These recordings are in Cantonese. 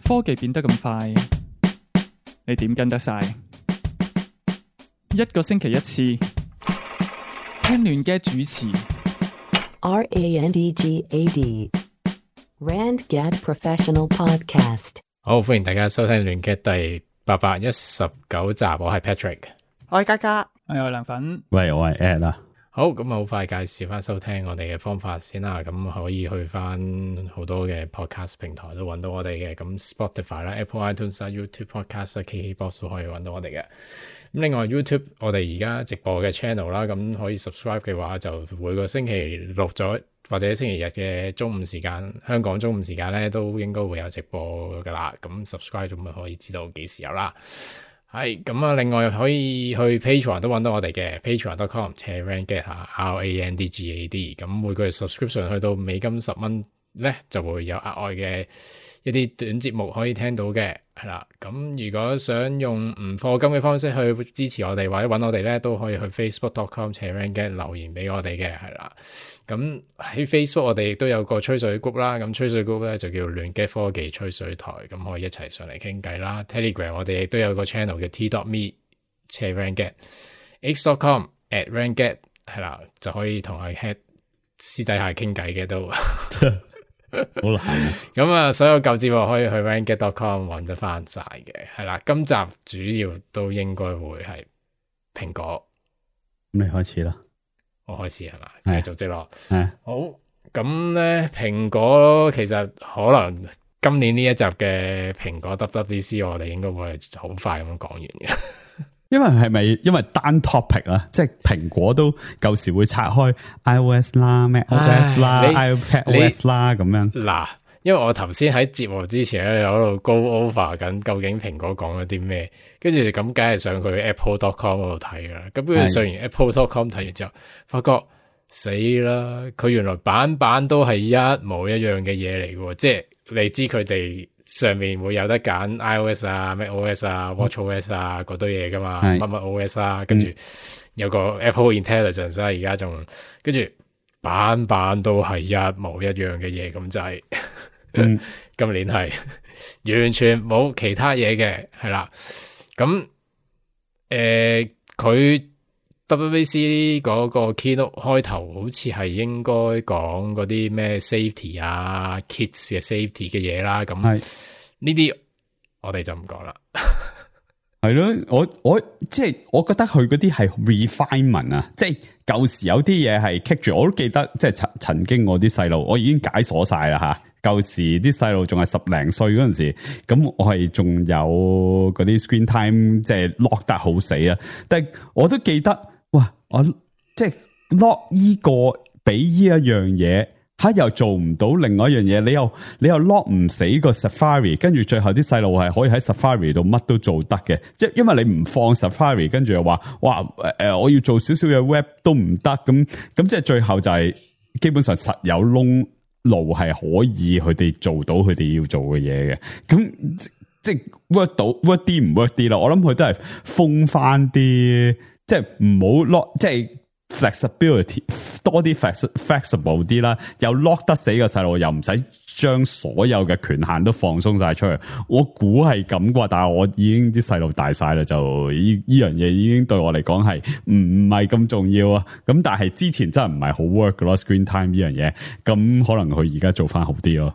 科技變得咁快，你點跟得晒？一個星期一次，聽亂嘅主持。RANDGAD Randgad Professional Podcast。好，歡迎大家收聽亂嘅第819集，我係 Patrick， 我係嘉嘉，我係涼粉。喂，我係 Ed 啦。好，咁好快介紹翻收聽我哋嘅方法先啦。咁可以去翻好多嘅 podcast 平台都揾到我哋嘅，咁 Spotify 啦、Apple iTunes 啦、YouTube Podcast 啦、KKBox 都可以揾到我哋嘅。咁另外 YouTube 我哋而家直播嘅 channel 啦，咁可以 subscribe 嘅話，就每個星期六咗或者星期日嘅中午時間，香港中午時間咧都應該會有直播噶啦。咁 subscribe 咁咪可以知道幾時有啦。係咁啊！另外可以去 Patreon 都揾到我哋嘅 patreon.com/randgad RANDGAD。咁每個月 subscription 去到美金$10咧，就會有額外嘅一啲短節目可以聽到嘅，係啦。咁如果想用唔課金嘅方式去支持我哋或者揾我哋咧，都可以去 facebook.com/randgad 留言俾我哋嘅，係啦。咁喺 Facebook 我哋亦都有個吹水 group 啦，咁吹水 group 咧就叫亂嘅科技吹水台，咁可以一齊上嚟傾偈啦。Telegram 我哋亦都有個 channel 叫 t.me/randgad x.com/randgad 係啦，就可以同阿 head 私底下傾偈嘅都好難。咁啊，所有舊節目可以去 randgad.com 揾得翻晒嘅，係啦。今集主要都應該會係蘋果。咁你開始啦。我開始係嘛，繼續接落。好，咁咧蘋果其實可能今年呢一集嘅蘋果 WWDC 我哋應該會好快咁講完嘅。因為係咪因為單 topic 啊？即係蘋果都舊時會拆開 iOS 啦、macOS 啦、iPadOS 啦咁樣。嗱，因為我頭先喺節目之前咧有喺度 go over 緊，究竟蘋果講咗啲咩？跟住咁梗係上去 apple.com 嗰度睇啦。咁跟住上完 apple.com 睇完之後，發覺死啦！佢原來版版都係一模一樣嘅嘢嚟嘅，即係你知佢哋上面會有得揀 iOS 啊、macOS 啊、watchOS 啊嗰堆嘢噶嘛，乜乜 OS 啊，跟住有個 Apple Intelligence 啊，而家仲跟住版版都係一模一樣嘅嘢，咁就係今年係完全冇其他嘢嘅，係啦。咁佢WWDC 嗰個 keynote 開頭好似係應該講嗰啲咩 safety 啊 kids 嘅 safety 嘅嘢啦，咁呢啲我哋就唔講啦。係咯，我即係我覺得佢嗰啲係 refinement 啊，即係舊時有啲嘢係 keep 住，我都記得即係曾經我啲細路，我已經解鎖晒啦吓。舊時啲細路仲係10零歲嗰陣時，咁我係仲有嗰啲 screen time 即係 lock 得好死啊！但係我都記得，哇！我即係 lock 依個俾依一樣嘢，又做唔到另外一樣嘢，你又 lock 唔死個 Safari， 跟住最後啲細路係可以喺 Safari 度乜都做得嘅，即係因為你唔放 Safari， 跟住又話哇我要做少少嘅 web 都唔得，咁即係最後就係基本上實有窿路係可以佢哋做到佢哋要做嘅嘢嘅，咁即係 work 到 work 啲唔 work 啲啦。我諗佢都係封翻啲，即係唔好 lock，即係 flexibility 多啲 flexible 啲啦。又 lock 得死個細路，又唔使將所有嘅權限都放鬆晒出去。我估係咁啩，但係我已經啲細路大晒啦，就呢樣嘢已經對我嚟講係唔係咁重要啊。咁但係之前真係唔係好 work 噶咯 ，screen time 呢樣嘢，咁可能佢而家做翻好啲咯。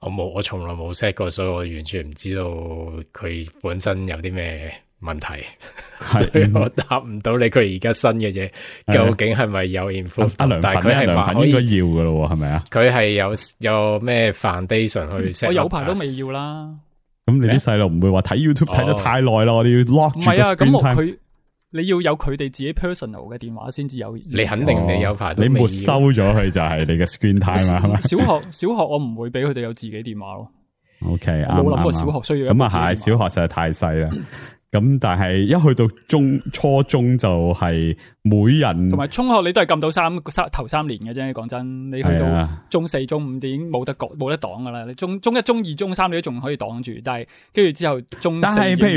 我從來冇 set 過，所以我完全唔知道佢本身有啲咩問題，所以我答唔到你。佢而家新嘅嘢究竟係咪有 improve？但係佢係涼粉應該要噶咯，係咪啊？佢係有咩 foundation 去 set？ 我有排都未要啦。咁你啲細路唔會話睇 YouTube 睇得太耐啦，我哋要 lock 住個 screen time。唔係啊，咁你要有佢哋自己 personal 嘅電話先至有。你肯定你有排都你沒收咗佢就係你嘅 screen time 啊，係咪？小學我唔會俾佢哋有自己電話咯。OK，冇諗過小學需要咁啊，係小學實在太細啦。咁但係一去到初中就係每人同埋中學你都係撳到頭3年嘅啫，講真，你去到中4、中5已經冇得擋噶啦。你中1、中2、中3你都仲可以擋住，但係跟住之後中4，但係譬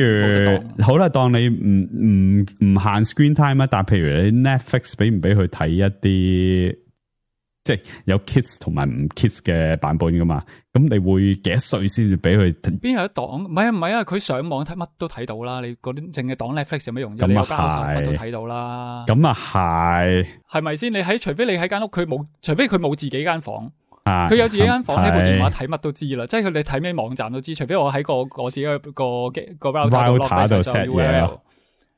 如好啦，當你唔限 screen time 啊，但係譬如你 Netflix 俾唔俾佢睇一啲即係有 kids 同埋唔 kids 嘅版本噶嘛？咁你會幾多歲先至俾佢？邊有得擋？唔係啊！佢上網睇乜都睇到啦。你嗰啲淨係擋 Netflix 有咩用啫？你有交手乜都睇到啦。咁啊係咪先？除非你喺間屋，除非佢冇自己間房。啊！佢有自己間房，喺部電話睇乜都知啦，即係佢哋睇咩網站都知。除非我喺我自己個 router 度 set 嘢，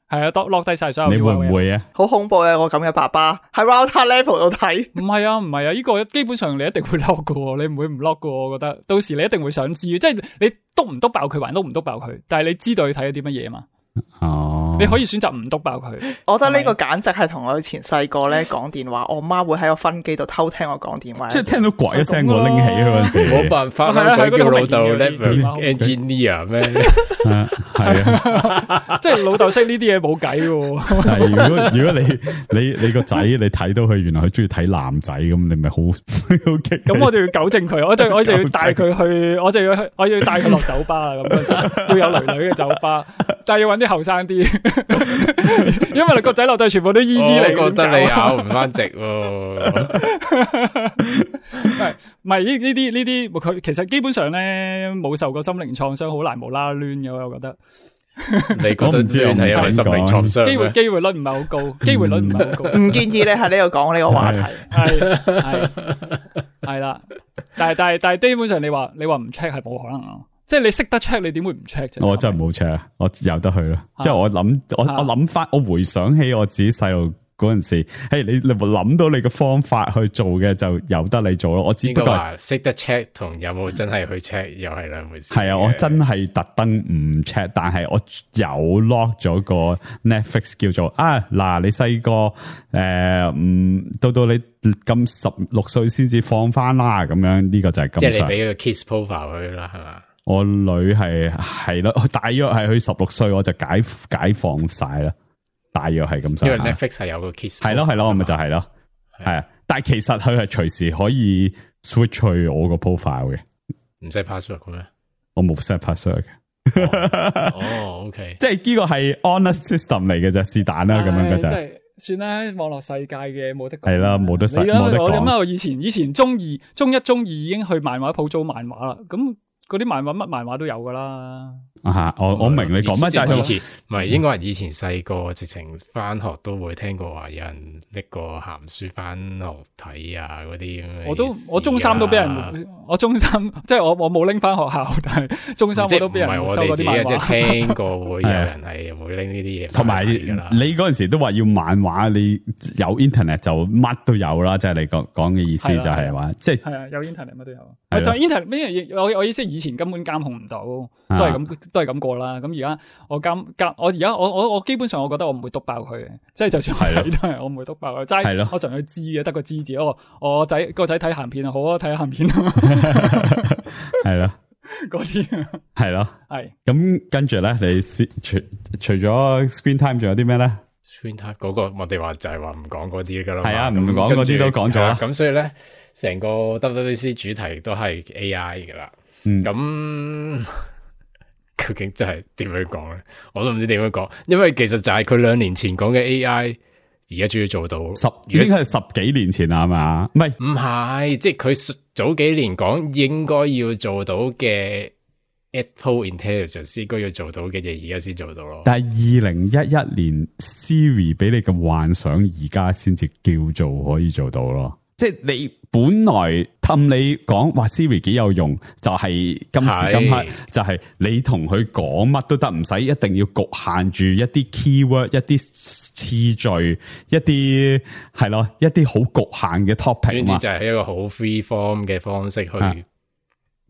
係啊，落低晒所有。你會唔會啊？好恐怖啊！我咁嘅爸爸喺 router level 度睇。唔係啊，呢個基本上你一定會 lock 噶，你唔會唔 lock 噶。我覺得到時你一定會想知，即係你篤唔篤爆佢，還篤唔篤爆佢，但係你知道佢睇咗啲乜嘢嘛？哦，你可以選擇唔篤爆佢。我覺得呢個簡直係同我以前細個咧講電話，我媽會喺個分機度偷聽我講電話。即係聽到呱一聲，我拎起嗰陣時，冇辦法，佢叫老豆 network engineer 咩？係啊，即係老豆識呢啲嘢冇計喎。係如果你個仔你睇到佢原來佢中意睇男仔咁，你咪好激。咁我就要糾正佢，我就要帶佢去，我要帶佢落酒吧啦。咁嗰時要有女女嘅酒吧，但係要揾啲後生啲，因為你個仔落都係全部都姨姨嚟。我覺得你咬唔翻直喎。唔係呢啲佢其實基本上咧冇受過心靈創傷，好難無啦啦攣嘅。我覺得你覺得係因為心靈創傷？機會率唔係好高，機會率唔係好高。唔建議你喺呢度講呢個話題。係啦，但係基本上你話唔 check 係冇可能啊。即係你識得 check，你點會唔 check 啫？我真係冇 check，我由得去咯。即係我諗翻，我回想起我自己細路嗰陣時，你諗到你嘅方法去做嘅，就由得你做咯。我只不過話識得 check 同有冇真係去 check 又係兩回事。係啊，我真係特登唔 check，但係我有 lock 咗個 Netflix 叫做嗱，你細個到你咁16歲先至放翻啦，咁樣呢個就係咁。即係你俾個 kiss profile 佢啦，係嘛？我女係咯，大約係佢16歲，我就解放晒啦。大約係咁。因為 Netflix 係有個 kiss。係咯，我咪就係咯，係啊。但係其實佢係隨時可以 switch 去我個 profile 嘅，唔使 password 嘅咩？我冇 set password 嘅。OK，即係呢個係 honest system 嚟嘅啫，是但啦，咁樣嘅就係。算啦，網絡世界嘅冇得講。係啦，冇得講。我諗下，我以前中二、中一已經去漫畫鋪租漫畫啦，咁。嗰啲漫畫乜漫畫都有噶啦。我明你講乜就係以前唔係應該係以前細個直情翻學都會聽過話有人拎個鹹書翻學睇啊嗰啲咁。我中三都俾人，我中三即係我冇拎翻學校，但係中三我都俾人收嗰啲漫畫。即係聽過會有人係會拎呢啲嘢。同埋你嗰陣時都話要漫畫，你有 internet 就乜都有啦。即係你講嘅意思就係話，即係係啊，有 internet 乜都有。但係 internet 咩嘢？我意思以前根本監控唔到，都係咁過啦。咁而家我基本上我覺得我唔會篤爆佢嘅，即係就算我睇都係我唔會篤爆佢。齋我純粹知嘅，得個知字。我個仔睇鹹片啊，好啊，睇下鹹片啊，係咯，嗰啲係咯，係。咁跟住咧，你除咗 screen time 仲有啲咩咧？screen time 嗰個我哋話就係話唔講嗰啲噶啦，係啊，唔講嗰啲都講咗啦。咁所以咧，成個 WWDC 主題都係 AI 噶啦。咁究竟真係點樣講咧？我都唔知點樣講，因為其實就係佢2年前講嘅 AI，而家終於做到已經係10幾年前啦，係嘛？唔係，即係佢早幾年講應該要做到嘅 Apple Intelligence 應該要做到嘅嘢，而家先做到咯。但係2011年 Siri 俾你嘅幻想，而家先至叫做可以做到咯。即係你本來氹你講話 Siri 幾有用，就係今時今刻就係你同佢講乜都得，唔使一定要局限住一啲 keyword、一啲次序、一啲係咯，一啲好局限嘅 topic 嘛。就係一個好 free form 嘅方式去，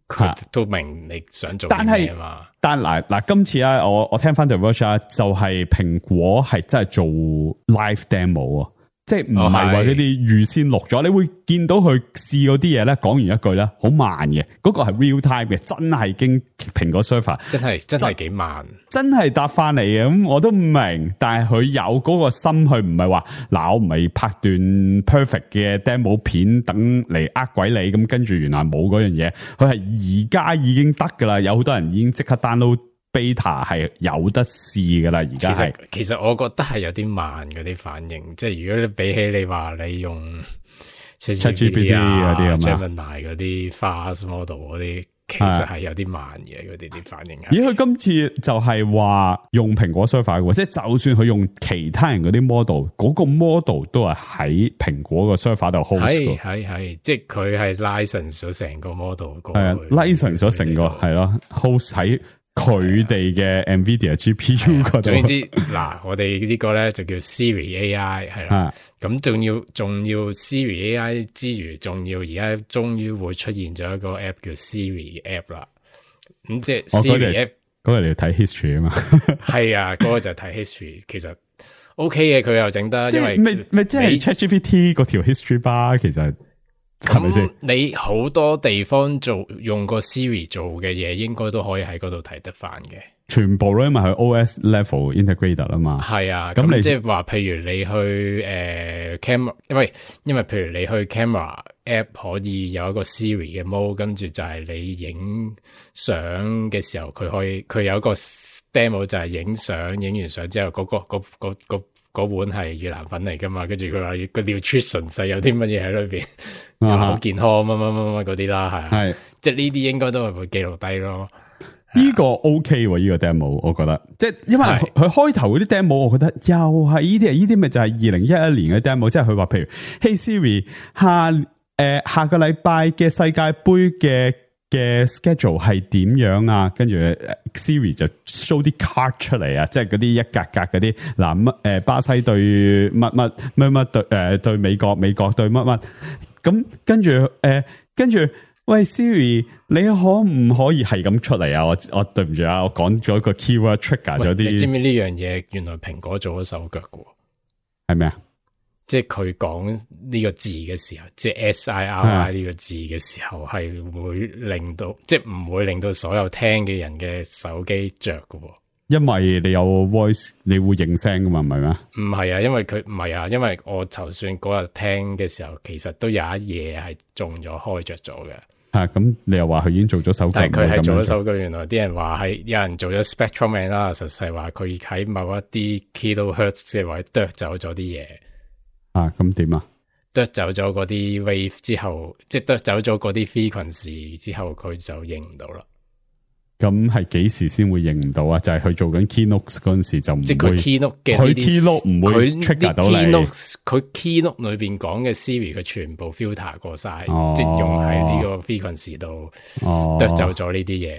佢都明你想做咩嘛。但嗱，今次啊，我聽翻 The Verge 啊，就係蘋果係真係做 live demo 啊。即係唔係話呢啲預先錄咗，你會見到佢試嗰啲嘢咧，講完一句咧，好慢嘅，嗰個係 real time 嘅，真係經蘋果 server， 真係幾慢，真係答翻嚟嘅。咁我都唔明，但係佢有嗰個心，佢唔係話嗱，我唔係拍段 perfect 嘅 demo 片等嚟呃鬼你，咁跟住原來冇嗰樣嘢，佢係而家已經得噶啦，有好多人已經即刻 download beta 係有得試噶啦，而家係。其實我覺得係有啲慢嗰啲反應，即係如果你比起你話你用 ChatGPT 嗰啲啊嘛 Gemini 嗰啲 fast model 嗰啲，其實係有啲慢嘅，佢哋啲反應係。咦？佢今次就係話用蘋果 server 嘅，即係就算佢用其他人嗰啲 model，嗰個 model 都係喺蘋果個 server 度 host 係，即係佢係 license 咗成個 model，係啊 license 咗成個係咯 host 喺佢哋嘅 Nvidia GPU 嗰度。總之嗱，我哋呢個咧就叫 Siri AI 係啦，咁仲要 Siri AI 之餘，仲要而家終於會出現咗一個 app 叫 Siri App 啦。咁即係 Siri App 嗰個你要睇 history 啊嘛。係啊，嗰個就係睇 history，其實 OK 嘅，佢又整得，因為咪即係 ChatGPT 嗰條 history bar 其實。咁你好多地方用個 Siri 做嘅嘢，應該都可以喺嗰度睇得翻嘅。全部咯，因為佢 OS level integrated 啊嘛。係啊，咁你即係話，譬如你去camera，因為譬如你去 camera app 可以有一個 Siri 嘅 mode，跟住就係你影相嘅時候，佢有一個 demo 就係影相，影完相之後嗰碗係越南粉嚟噶嘛，跟住佢話個 nutrition 細有啲乜嘢喺裏邊，好健康乜嗰啲啦，係，即係呢啲應該都係會記錄低咯。呢個 OK 喎，呢個 demo 我覺得，即係因為佢開頭嗰啲 demo， 我覺得又係呢啲咪就係2011年嘅 demo， 即係佢話譬如 Hey Siri 下個禮拜嘅世界盃嘅 schedule 係點樣啊？跟住 Siri 就 show 啲 card 出嚟啊，即係嗰啲一格格嗰啲嗱巴西對乜對美國對乜咁，跟住喂 Siri， 你可唔可以係咁出嚟啊？我對唔住啊，我講咗個 keyword trigger 咗啲。你知唔知呢樣嘢原來蘋果做咗手腳嘅？係咩啊？即係佢講呢個字嘅時候，即係 SIRI 呢個字嘅時候，係會令到即係唔會令到所有聽嘅人嘅手機着嘅。因為你有 voice， 你會應聲噶嘛，唔係咩？唔係啊，因為佢唔係啊，因為我就算嗰日聽嘅時候，其實都有一嘢係中咗開着咗嘅。咁你又話佢已經做咗手腳，但係佢係做咗手腳。原來啲人話係有人做咗 spectrum analysis，實際話佢喺某一啲 kilohertz 嘅位剁走咗啲嘢。咁點啊？剁走咗嗰啲 wave 之後，即係剁走咗嗰啲 frequency 之後，佢就認唔到啦。咁係幾時先會認唔到啊？就係佢做緊 keynote 嗰陣時就唔會，即係佢 keynote 嘅佢 keynote 唔會 trigger 到你。佢 keynote 裏邊講嘅 Siri 佢全部 filter 過晒，即係用喺呢個 frequency 度剁走咗呢啲嘢。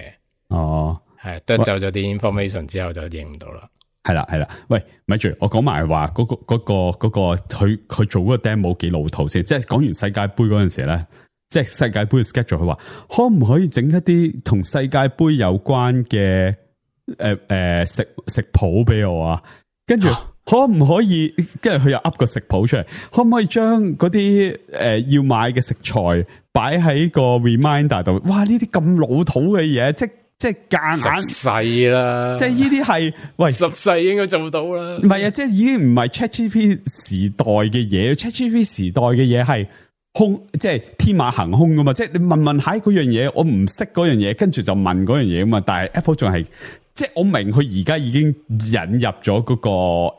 係剁走咗啲 information 之後就認唔到啦。係啦，喂，咪住，我講埋話嗰個佢做嗰個 demo 幾老土先，即係講完世界盃嗰陣時咧，即係世界盃嘅 schedule，佢話可唔可以整一啲同世界盃有關嘅食譜俾我啊？跟住可唔可以，跟住佢又噏個食譜出嚟，可唔可以將嗰啲要買嘅食材擺喺個 reminder 度？哇！呢啲咁老土嘅嘢，即係夾硬十世啦，即係呢啲係喂十世應該做到啦。唔係啊，即係已經唔係 ChatGPT 時代嘅嘢，ChatGPT 時代嘅嘢係空，即係天馬行空噶嘛。即係你問下嗰樣嘢，我唔識嗰樣嘢，跟住就問嗰樣嘢啊嘛。但係 Apple 仲係，即係我明佢而家已經引入咗嗰個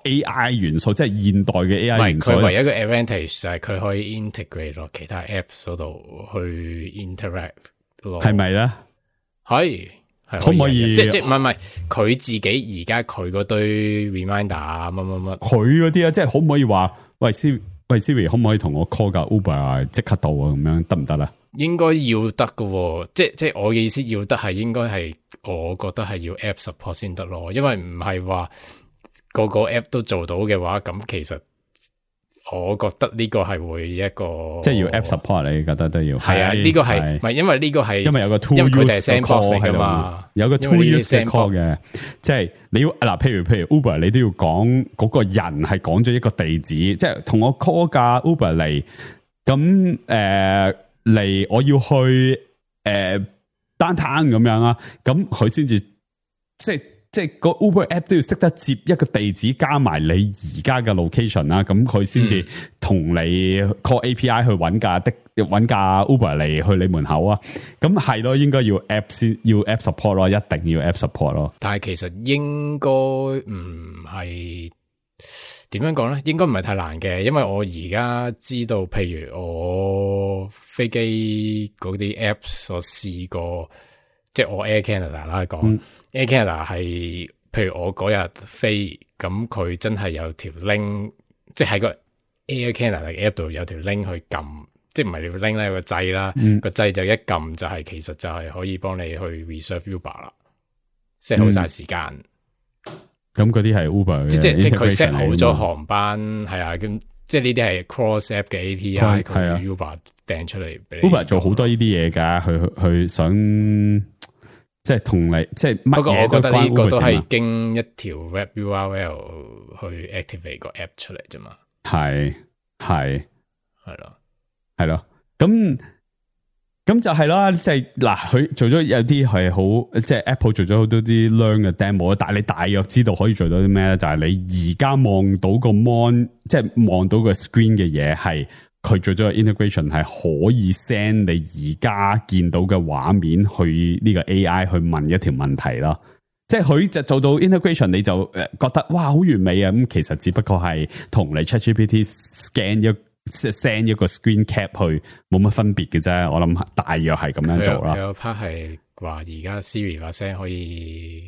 AI 元素，即係現代嘅 AI 元素。佢唯一一個 advantage 就係佢可以 integrate 落其他 apps 嗰度去 interact 咯，係咪咧？係。可唔可以？即係唔係佢自己而家佢嗰堆 reminder 啊乜，佢嗰啲啊，即係可唔可以話喂 Siri 可唔可以同我 call 架 Uber 即刻到啊？咁樣得唔得啦？應該要得㗎，即係我嘅意思要得係應該係，我覺得係要 app support 先得咯，因為唔係話個 app 都做到嘅話，咁其實。我覺得呢個係會一個，即係要 app support， 你覺得都要係啊？呢個係唔係因為呢個係因為有個 2use call 喺度，有個 2use call 嘅，即係你要嗱，譬如 Uber， 你都要講嗰個人係講咗一個地址，即係同我 call 架 Uber 嚟，咁嚟我要去downtown咁樣啊，咁佢先至即係個 Uber app 都要識得接一個地址加埋你而家嘅 location 啦，咁佢先至同你 call API 去揾架 Uber 嚟去你門口啊。咁係咯，應該要 app 先，要 app support 咯，一定要 app support 咯。但係其實應該唔係，點樣講咧？應該唔係太難嘅，因為我而家知道，譬如我飛機嗰啲 apps，我試過，即係我 Air Canada 啦講，Air Canada 係，譬如我嗰日飛，咁佢真係有條 link， 即係喺個 Air Canada 嘅 app 度有條 link 去撳，即係唔係條 link 咧，有個掣啦，個掣就一撳就係其實就係可以幫你去 reserve Uber 啦，set 好晒時間。咁嗰啲係 Uber 嘅，即係佢 set 好咗航班，係啊，咁即係呢啲係 cross app 嘅 API，佢 Uber 掟出嚟俾你。Uber 做好多呢啲嘢噶，佢想即係同你即係乜嘢都關 Uber 事嘛。不過我覺得呢個都係經一條 web URL 去 activate 個 app 出嚟啫嘛。係咯，咁就係啦，即係嗱，佢做咗有啲係好，即係 Apple 做咗好多啲 learn 嘅 demo， 但係你大約知道可以做到啲咩咧？就係你而家望到個 mon， 即係望到個 screen 嘅嘢，係佢做咗個 integration， 係可以 send 你而家見到嘅畫面去呢個 AI 去問一條問題啦。即係佢就做到 integration， 你就覺得哇好完美啊！咁其實只不過係同你 ChatGPT send 一個 screen cap 去冇乜分別嘅啫，我諗大約係咁樣做啦。有 part 係話而家 Siri 把聲可以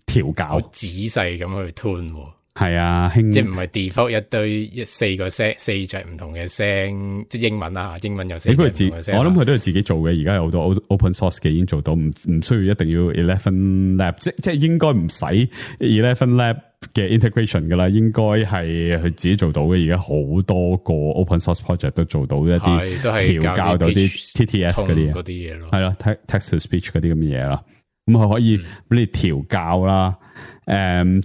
調校，仔細咁去 tune。係啊，即係唔係 default 一堆四個聲，四隻唔同嘅聲，即係英文啊，英文有四隻唔同嘅聲。我諗佢都係自己做嘅，而家有好多 open source 嘅已經做到，唔需要一定要 Eleven Lab， 即係應該唔使 Eleven Lab 嘅 integration 噶啦，應該係佢自己做到嘅。而家好多個 open source project 都做到一啲調教到啲 TTS 嗰啲嘢咯，係咯 text to speech 嗰啲咁嘅嘢啦。咁佢可以俾你調教啦。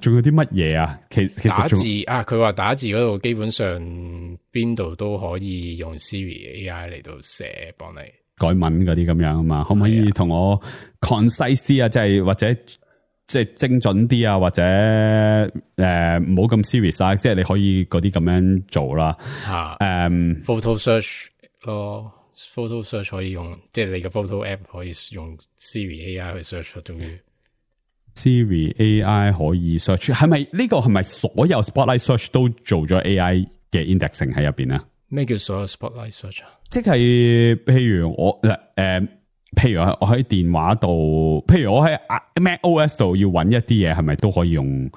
仲有啲乜嘢啊？其實打字啊，佢話打字嗰度基本上邊度都可以用 Siri AI 嚟到寫，幫你改文嗰啲咁樣啊嘛。可唔可以同我 concise 啲啊？即係或者即係精準啲啊？或者唔好咁 serious 啊？即係你可以嗰啲咁樣做啦。photo search 咯，photo search 可以用，即係你嘅 photo app 可以用 Siri AI 去 search 終於。Siri AI 可以 search， 係咪呢個係咪所有 Spotlight Search 都做咗 AI 嘅 indexing 喺入邊啊？咩叫所有 Spotlight Search 啊？即係譬如我譬如我喺電話度，譬如我喺 Mac OS 度要揾一啲嘢，係咪都可以用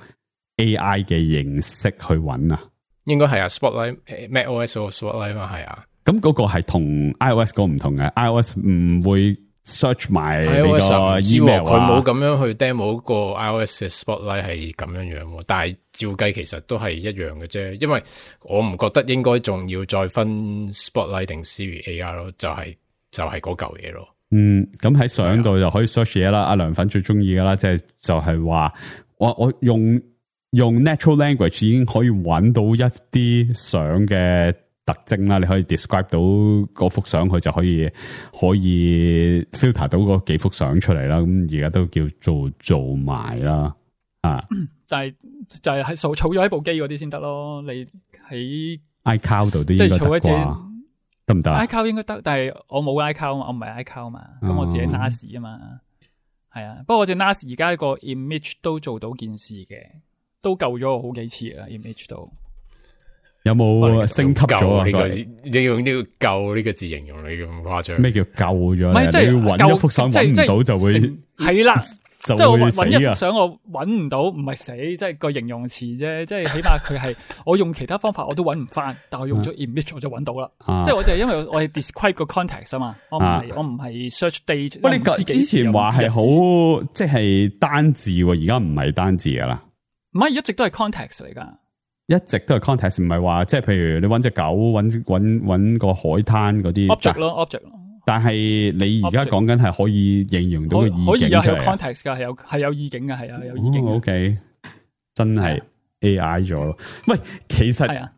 AI 嘅形式去揾啊？應該係啊 ，Spotlight Mac OS 嗰個 Spotlight 嘛係啊。咁嗰個係同 iOS 嗰個唔同嘅 ，iOS 唔會 search 埋你個 email 佢冇咁樣去 demo 個 iOS 嘅 Spotlight 係咁樣樣，但係照計其實都係一樣嘅啫。因為我唔覺得應該仲要再分 Spotlight 定 Siri AI 咯，就係嗰嚿嘢咯。咁喺相度就可以 search 嘢啦。阿涼粉最中意噶啦，即係就係話我用 natural language 已經可以揾到一啲相嘅特徵啦，你可以 describe 到嗰幅相，佢就可以 filter 到嗰幾幅相出嚟啦。咁而家都叫做埋啦，但係就係儲咗喺部機嗰啲先得咯。你喺 iCloud 度都應該得啩？得唔得 ？iCloud 應該得，但係我冇 iCloud 嘛，我唔係 iCloud 嘛，咁我自己 NAS 啊嘛。係啊，不過我隻 NAS 而家個 image 都做到件事嘅，都救咗我好幾次啦 image 都。有冇升級咗啊？你用呢個救呢個字形容你咁誇張？咩叫救咗？唔係即係你揾一幅相揾唔到就會係啦，即係我揾一幅相我揾唔到，唔係死，即係個形容詞啫。即係起碼佢係我用其他方法我都揾唔翻，但係我用咗 image 我就揾到啦。即係我就係因為我係 describe 個 context 啊嘛，我唔係 search date。喂，你之前話係好即係單字，而家唔係單字噶啦？唔係，一直都係 context 嚟噶。一直都係 context， 唔係話即係譬如你揾隻狗，揾個海灘嗰啲 object 咯 object。但係你而家講緊係可以形容到個意境出嚟，可以有 context 噶，係有意境噶，係啊有意境。OK， 真係 AI 咗咯。喂，其實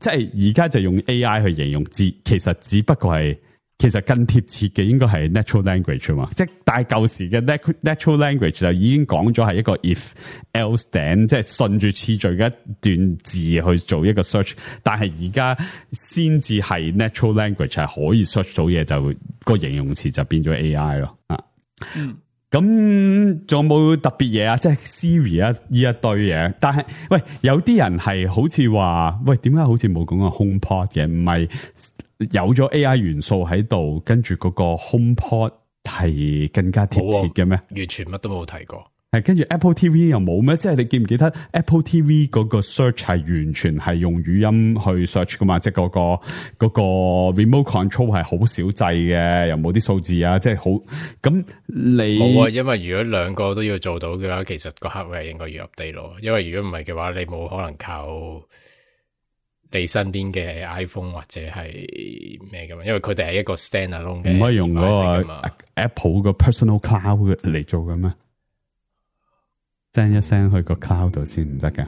即係而家就用 AI 去形容字，其實只不過係。其實更貼切嘅應該係 natural language 啊嘛，即係但係舊時嘅 natural language 就已經講咗係一個 if else then， 即係順住次序嘅一段字去做一個 search， 但係而家先至係 natural language 係可以 search 到嘢，就個形容詞就變咗 AI 咯。咁仲有冇特別嘢啊？即係 Siri 啊，呢一堆嘢。但係喂，有啲人係好似話，喂，點解好似冇講過 HomePod 嘅？唔係有咗 AI 元素喺度，跟住嗰個 HomePod 係更加貼切嘅咩？完全乜都冇提過。係跟住 Apple TV 又冇咩？即係你記唔記得 Apple TV 嗰個 search 係完全係用語音去 search 噶嘛？即係嗰個 remote control 係好少掣嘅，又冇啲數字啊！即係好咁你冇啊，因為如果兩個都要做到嘅話，其實個 hardware 應該要 update 咯。因為如果唔係嘅話，你冇可能靠你身邊嘅 iPhone 或者係咩噶嘛？因為佢哋係一個 standalone 嘅，唔可以用嗰個 Apple 個 personal cloud 嚟做嘅咩？send 一 send 去個 cloud 度先唔得噶？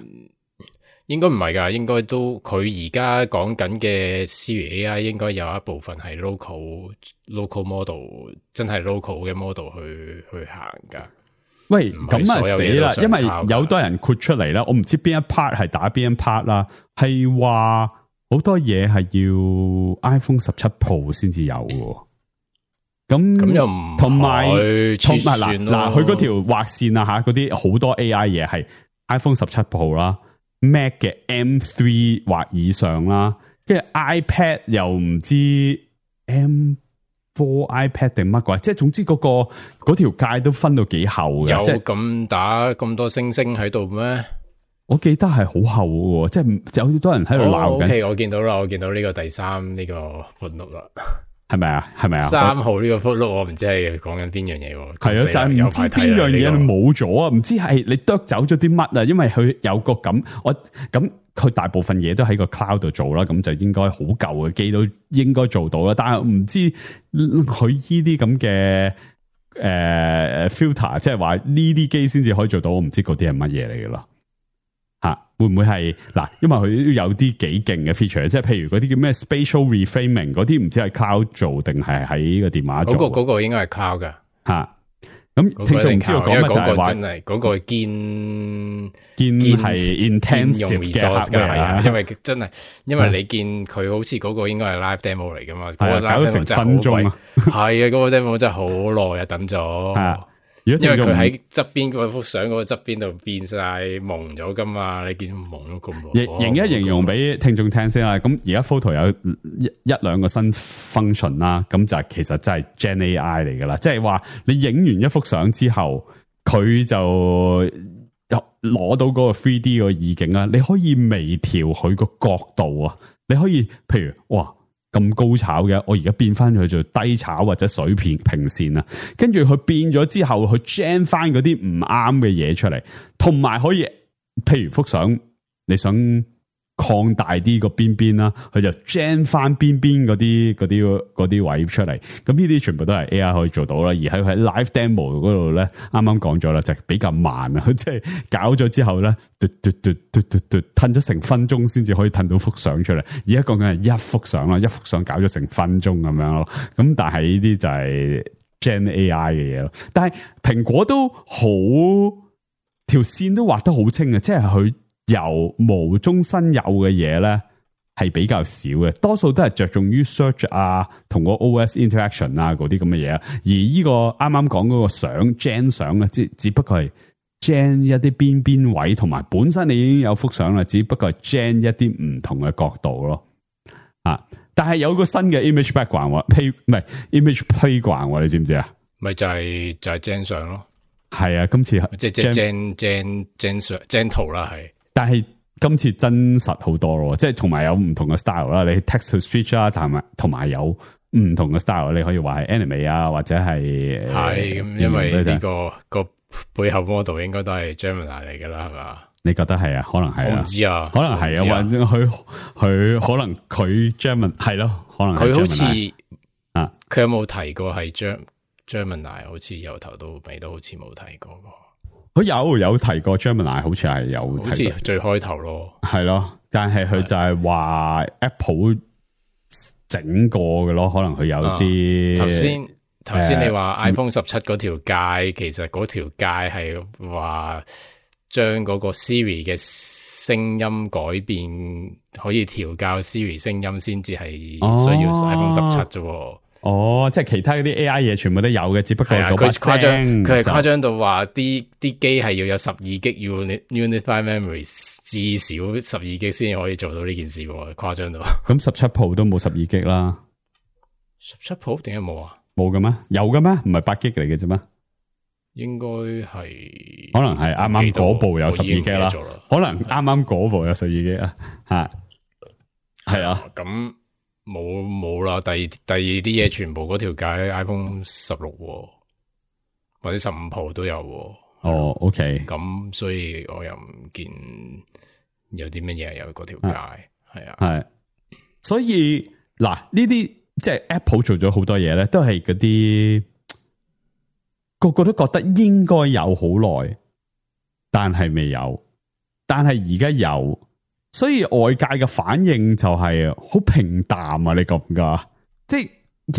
應該唔係噶，應該都佢而家講緊嘅 Siri AI 應該有一部分係 local model， 真係 local 嘅 model 去行噶。喂，咁啊死啦！因為有多人豁出嚟啦，我唔知邊一 part 係打邊一 part 啦，係話好多嘢係要 iPhone 17 Pro 先至有嘅。咁又唔同埋嗱，佢嗰條畫線啊吓，嗰啲好多 AI 嘢係 iPhone 17 Pro 啦 ，Mac 嘅 M3 或以上啦，跟住 iPad 又唔知 M4 iPad 定乜鬼，即係總之嗰條界都分到幾厚嘅。有咁打咁多星星喺度咩？我記得係好厚嘅，即係有好多人喺度鬧緊。OK， 我見到啦，我見到呢個第三呢個 footnote 啦。係咪啊？係咪啊？3號呢個 footnote 我唔知係講緊邊樣嘢喎。係啊，就係唔知邊樣嘢冇咗啊！唔知係你剁走咗啲乜啊？因為佢有個咁，佢大部分嘢都喺個 cloud 度做啦，咁就應該好舊嘅機都應該做到啦。但係唔知佢呢啲咁嘅filter，即係話呢啲機先至可以做到，我唔知嗰啲係乜嘢嚟嘅咯。吓，會唔會係嗱？因為佢都有啲幾勁嘅 feature，即係譬如嗰啲叫咩 spatial reframing 嗰啲，唔知係 cloud 做定係喺個電話做？嗰個應該係 cloud 噶吓。咁聽眾唔知道講乜就係話，真係嗰個堅係 intensive 嘅 hardware，因為真係，因為你見佢好似嗰個應該係 live demo 嚟噶嘛，搞咗成分鐘啊，係啊，嗰個 demo 真係好耐啊，等咗。因為佢喺側邊嗰幅相嗰個側邊度變晒蒙咗噶嘛，你見蒙咗咁耐。形一形容俾聽眾聽先啦。咁而家 photo 有一兩個新 function 啦，咁就其實真係 Gen AI 嚟噶啦。即係話你影完一幅相之後，佢就攞到嗰個 3D 個意境啦。你可以微調佢個角度啊，你可以譬如哇。咁高炒嘅，我而家變翻去做低炒或者水平線啊，跟住佢變咗之後，佢 gen 翻嗰啲唔啱嘅嘢出嚟，同埋可以，譬如幅相你想擴大啲個邊邊啦，佢就 gen 翻邊邊嗰啲位出嚟，咁呢啲全部都係 AI 可以做到啦。而喺 live demo 嗰度咧，啱啱講咗啦，就係比較慢啊，即係搞咗之後咧，褪咗成分鐘先至可以褪到幅相出嚟。而家講緊係一幅相啦，一幅相搞咗成分鐘咁樣咯。咁但係呢啲就係 Gen AI 嘅嘢咯。但係蘋果都好條線都畫得好清啊，即係佢。由無中生有嘅嘢咧，係比較少嘅，多數都係着重於 search 啊，同個 OS interaction 啊嗰啲咁嘅嘢。而呢個啱啱講嗰個相 gen 相咧，只不過係 gen 一啲邊位，同埋本身你已經有幅相啦，只不過係 gen 一啲唔同嘅角度咯。啊！但係有個新嘅 image background，唔係 image playground，你知唔知啊？咪就係 gen 相咯。係啊，今次即係 gen 圖啦，係。但係今次真實好多咯，即係同埋有唔同嘅 style 啦，你 text to speech 啦，同埋有唔同嘅 style，你可以話係 anime 啊，或者係咁，因為呢個背後 model 應該都係 Gemini 嚟噶啦，係嘛？你覺得係啊？可能係啊？我唔知啊，可能係啊，或者佢可能佢 Gemini 係咯，可能佢好似啊，佢有冇提過係 Gemini？ 好似由頭到尾都好似冇提過。佢有提過 Gemini， 好似係有提過，好似最開頭咯，係咯，但係佢就係話 Apple 整過嘅咯，可能佢有啲頭先你話 iPhone 17嗰條界，其實嗰條界係話將嗰個 Siri 嘅聲音改變，可以調校 Siri 聲音先至係需要 iPhone 17啫。哦，即係其他嗰啲 AI 嘢全部都有嘅，只不過嗰把聲佢係誇張到話啲機係要有12 G Unified Memory， 至少12 G 先可以做到呢件事喎，誇張到。咁17 Pro 都冇12 G 啦。17 Pro 點解冇啊？冇嘅咩？有嘅咩？唔係8 G 嚟嘅啫咩？應該係，可能係啱啱嗰部有12 G 啦，可能啱啱嗰部有12 G 啊，係啊，咁冇啦，第二啲嘢全部嗰條街 iPhone 16或者15 Pro 都有。哦 ，OK， 咁所以我又唔見有啲乜嘢有嗰條街，係啊，係，所以嗱呢啲即係 Apple 做咗好多嘢咧，都係嗰啲。個個都覺得應該有好耐，但係未有，但係而家有，所以外界嘅反應就係好平淡啊！你覺唔覺？即係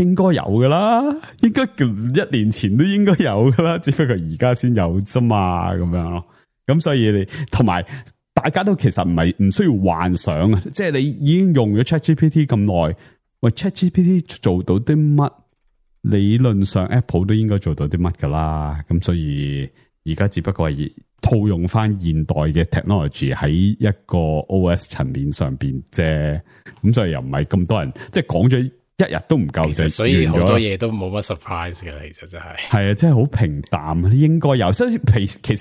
應該有噶啦，應該1年前都應該有噶啦，只不過而家先有啫嘛，咁樣咯。咁所以你同埋大家都其實唔需要幻想啊，即係你已經用咗 ChatGPT 咁耐，喂 ChatGPT 做到啲乜？理論上 Apple 都應該做到啲乜噶啦，咁所以而家只不過係套用翻現代嘅 technology 喺一個 OS 層面上邊啫，咁所以又唔係咁多人即係講咗一日都唔夠，就所以好多嘢都冇乜 surprise 嘅，其實真係係啊，真係好平淡，應該有。所以其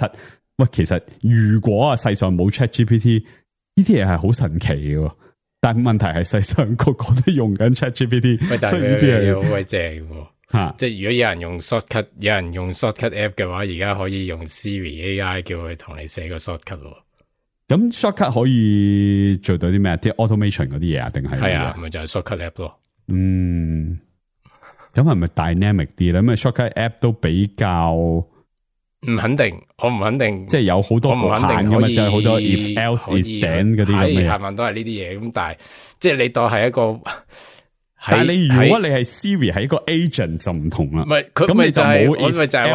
實如果世上冇 ChatGPT 呢啲嘢係好神奇嘅，但係問題係世上個個都用緊 ChatGPT， 所以呢啲嘢好鬼正喎。即係如果有人用 shortcut app 嘅話，而家可以用 Siri AI 叫佢同你寫個 shortcut 咯。咁 shortcut 可以做到啲咩？啲 automation 嗰啲嘢啊，定係係啊，咪就係 shortcut app 咯。咁係咪 dynamic 啲咧？咁啊 shortcut app 都比較唔肯定，我唔肯定，即係有好多局限噶嘛，就係好多 if else if then 嗰啲咁嘅嘢，係咪都係呢啲嘢？咁但係即係你當係一個。但係你如果你係 Siri 係一個 agent 就唔同啦，唔係佢咪就係我咪就係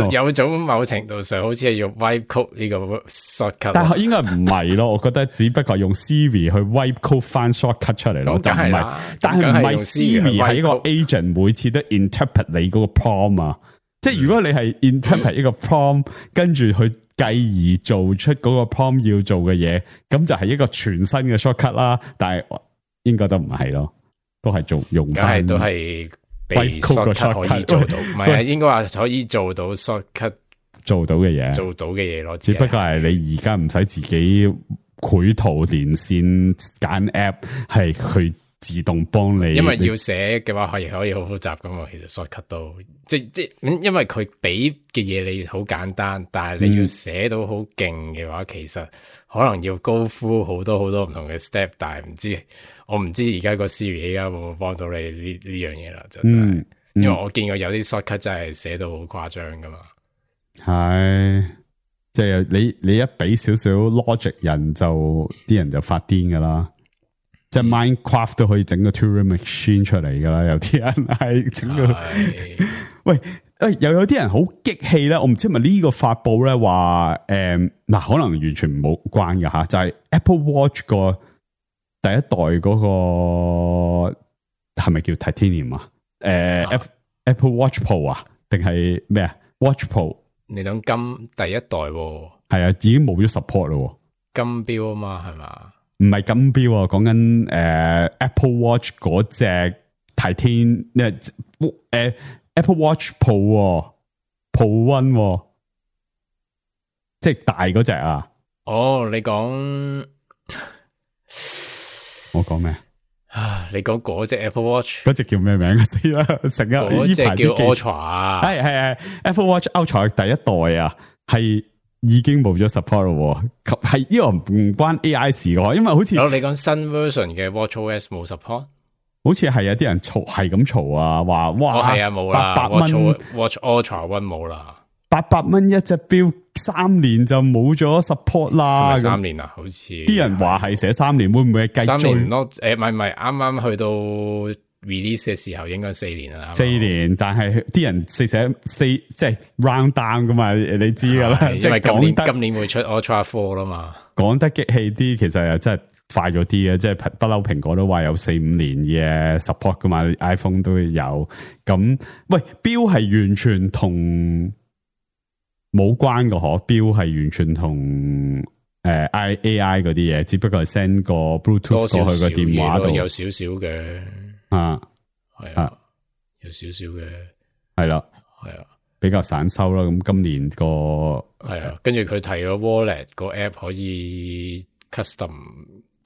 話有種某程度上好似係用 wipe code 呢個 shortcut， 但係應該唔係咯，我覺得只不過用 Siri 去 wipe code 翻 shortcut 出嚟咯，就唔係，但係唔係 Siri 係一個 agent 每次都 interpret 你嗰個 prompt 啊，即係如果你係 interpret 一個 prompt 跟住去繼而做出嗰個 prompt 要做嘅嘢，咁就係一個全新嘅 shortcut 啦，但係應該都唔係咯。都係用翻，都係被 shortcut 可以做到，唔係啊，應該話可以做到 shortcut 做到嘅嘢，咯。只不過係你而家唔使自己繪圖連線揀 app， 係佢自動幫你。因為要寫嘅話，可以好複雜噶嘛。其實 shortcut 都即因為佢俾嘅嘢你好簡單，但係你要寫到好勁嘅話，其實可能要go through好多唔同嘅 step， 但係我唔知而家個 Siri 而家會唔會幫到你呢樣嘢啦，就真係，因為我見過有啲 shortcut 真係寫到好誇張噶嘛。係，即係你一俾少少 logic 人就啲人就發癲噶啦，即係 Minecraft 都可以整個 Turing Machine 出嚟噶啦，有啲人係整個，喂。又有啲人好激氣咧，我唔知係咪呢個發佈咧話嗱，可能完全冇關嘅吓，就係 Apple Watch 個第一代嗰個係咪叫 Titanium 啊？Apple Watch Pro 啊，定係咩啊 ？Watch Pro， 你諗金第一代喎，係啊，已經冇咗 support 咯，金標啊嘛，係嘛？唔係金標啊，講緊Apple Watch 嗰隻 Titanium Apple Watch Pro Pro One， 即係大嗰隻啊！哦，你講我講咩啊？你講嗰隻 Apple Watch， 嗰隻叫咩名啊？死啦！成日嗰隻叫 Ultra 啊，係 Apple Watch Ultra 第一代啊，係已經冇咗 support 咯，係呢個唔關 AI 事嘅，因為好似你講新 version 嘅 WatchOS 冇 support。好似係有啲人嘈，係咁嘈啊，話哇係啊冇啦，800蚊 Watch Ultra One 冇啦，800蚊一隻錶，3年就冇咗 support 啦。3年啊，好似啲人話係寫3年，會唔會係繼續？3年咯，唔係，啱啱去到 release 嘅時候應該4年啦。4年，但係啲人寫即係 round down 噶嘛，你知噶啦。因為今年會出 Ultra 4啦嘛。講得激氣啲，其實又真係快咗啲嘅，即係不嬲蘋果都話有4-5年嘅 support 噶嘛 ，iPhone 都有。咁喂，標係完全同冇關嘅嗬，標係完全同AI 嗰啲嘢，只不過係 send 個 Bluetooth 過去個電話度，有少少嘅啊，係啊，有少少嘅係啦，係啊。比較散收啦，咁今年個係啊，跟住佢提咗 Wallet 個 app 可以 custom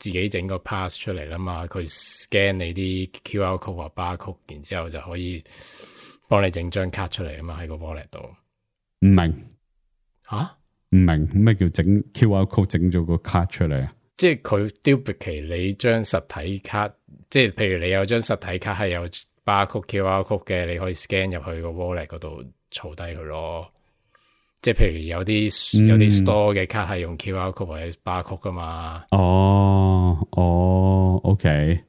自己整個 pass 出嚟啦嘛，佢 scan 你啲 QR code 或 barcode， 然之後就可以幫你整張卡出嚟啊嘛，喺個 Wallet 度。唔明吓？唔明咩叫整 QR code 整咗個卡出嚟啊？即係佢 duplicate 你張實體卡，即係譬如你有張實體卡係有 barcode QR code 嘅，你可以 scan 入去個 Wallet 嗰度。儲低佢咯，即係譬如有啲 store 嘅卡係用 QR code 或者 barcode 噶嘛。OK，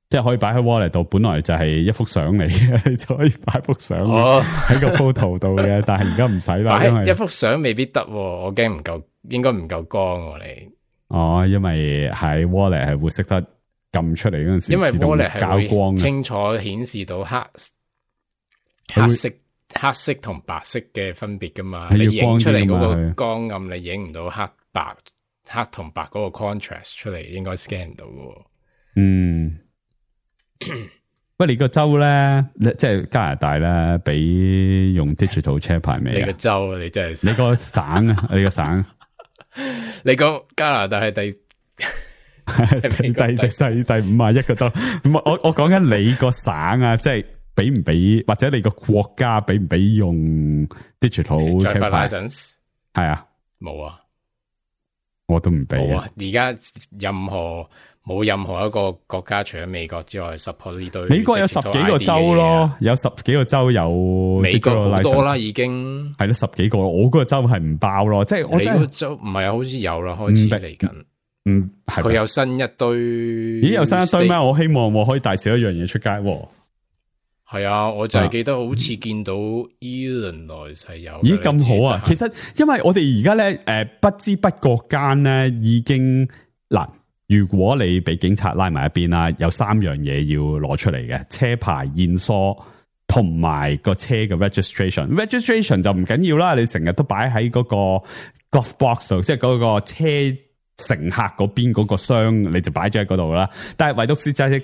即係可以擺喺 wallet 度，本來就係一幅相嚟嘅，你就可以擺幅相喺個 photo 度嘅，但係而家唔使啦，因為一幅相未必得，我驚唔夠，應該唔夠光你。因為喺 wallet 係會識得撳出嚟嗰陣時，因為 wallet 係會清楚顯示到黑色同白色嘅分別噶嘛，你影出嚟嗰個光暗，你影唔到黑同白嗰個 contrast 出嚟，應該 scan 唔到噶。喂，你個州咧，即係加拿大咧，俾用 digital 車牌未？你個州，你真係你個省啊，你個省，你講加拿大係第51個州，唔係我講緊你個省啊，即係。俾唔俾或者你個國家俾唔俾用 digital 車牌？係啊，冇啊，我都唔俾啊。而家冇任何一個國家除咗美國之外 support 呢堆。美國有10幾個州咯，有10幾個州有。美國好多啦，已經係咯10幾個。我嗰個州係唔包咯，即係我真係州唔係啊，好似有啦，開始嚟緊。佢有新一堆。咦，有新一堆咩？我希望我可以帶少一樣嘢出街。係啊，我就係記得好似見到 Illinois 係有。咦，咁好啊！其實因為我哋而家咧，不知不覺間咧已經嗱，如果你俾警察拉埋一邊啦，有3樣嘢要攞出嚟嘅：車牌驗疏同埋個車嘅 registration。registration 就唔緊要啦，你成日都擺喺嗰個 glove box 度，即係嗰個車乘客嗰邊嗰個箱，你就擺咗喺嗰度啦。但係唯獨是就係。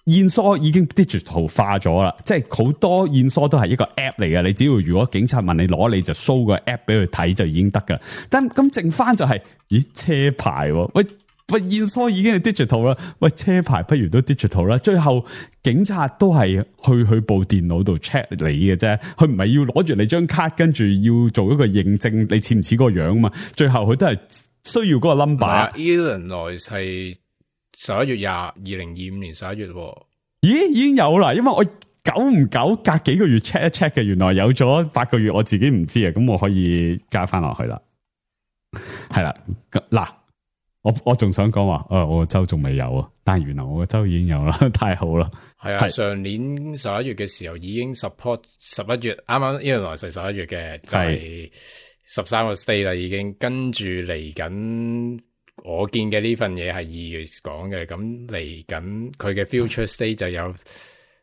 驗疏已經 digital 化咗啦，即係好多驗疏都係一個 app 嚟嘅，你只要如果警察問你攞，你就 show 個 app 俾佢睇就已經得噶。但咁剩翻就係，咦，車牌喂驗疏已經係 digital 啦，喂車牌不如都 digital 啦。最後警察都係去部電腦度 check 你嘅啫，佢唔係要攞住你張卡跟住要做一個認證，你似唔似個樣嘛？最後佢都係需要嗰個 number。Illinois 係11月2025年11月。咦，已經有啦，因為我久唔久隔幾個月 check 一 check 嘅，原來有咗8個月，我自己唔知啊，咁我可以加翻落去啦。係啦，嗱，我仲想講話，我個州仲未有啊，但係原來我個州已經有啦，太好啦。係啊，上年11月嘅時候已經 support 11月，啱啱Illinois係11月嘅，就係13個 state 啦，已經跟住嚟緊。我見嘅呢份嘢係2月講嘅，咁嚟緊佢嘅 future state 就有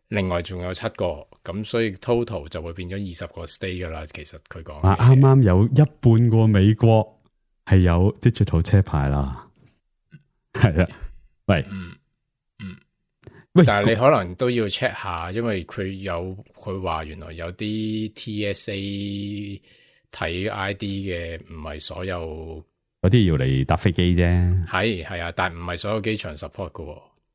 另外仲有7個，咁所以 total 就會變咗20個 state 噶啦。其實佢講啱啱有一半個美國係有 digital 車牌啦，係啊，喂，喂，但係你可能都要 check 下，因為佢話原來有啲 TSA 睇 ID 嘅，唔係所有。嗰啲要嚟搭飛機啫，係啊，但係唔係所有機場 support 噶，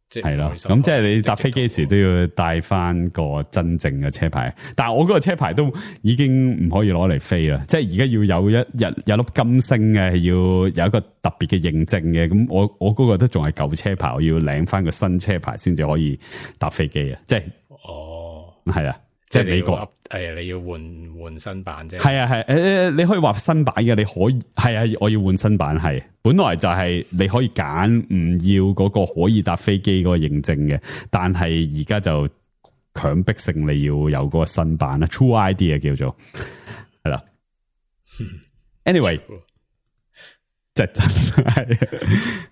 即係咯。咁即係你搭飛機時都要帶翻個真正嘅車牌。但係我嗰個車牌都已經唔可以攞嚟飛啦，即係而家要有有粒金星嘅，要有一個特別嘅認證嘅。咁我嗰個都仲係舊車牌，我要領翻個新車牌先至可以搭飛機啊！即係係啊。即係美國，你要換新版啫。係啊，你可以話新版嘅，你可以係啊，我要換新版係。本來就係你可以揀唔要嗰個可以搭飛機嗰個認證嘅，但係而家就強迫性你要有嗰個新版啦 ，True ID 啊叫做係啦。Anyway，即係真係。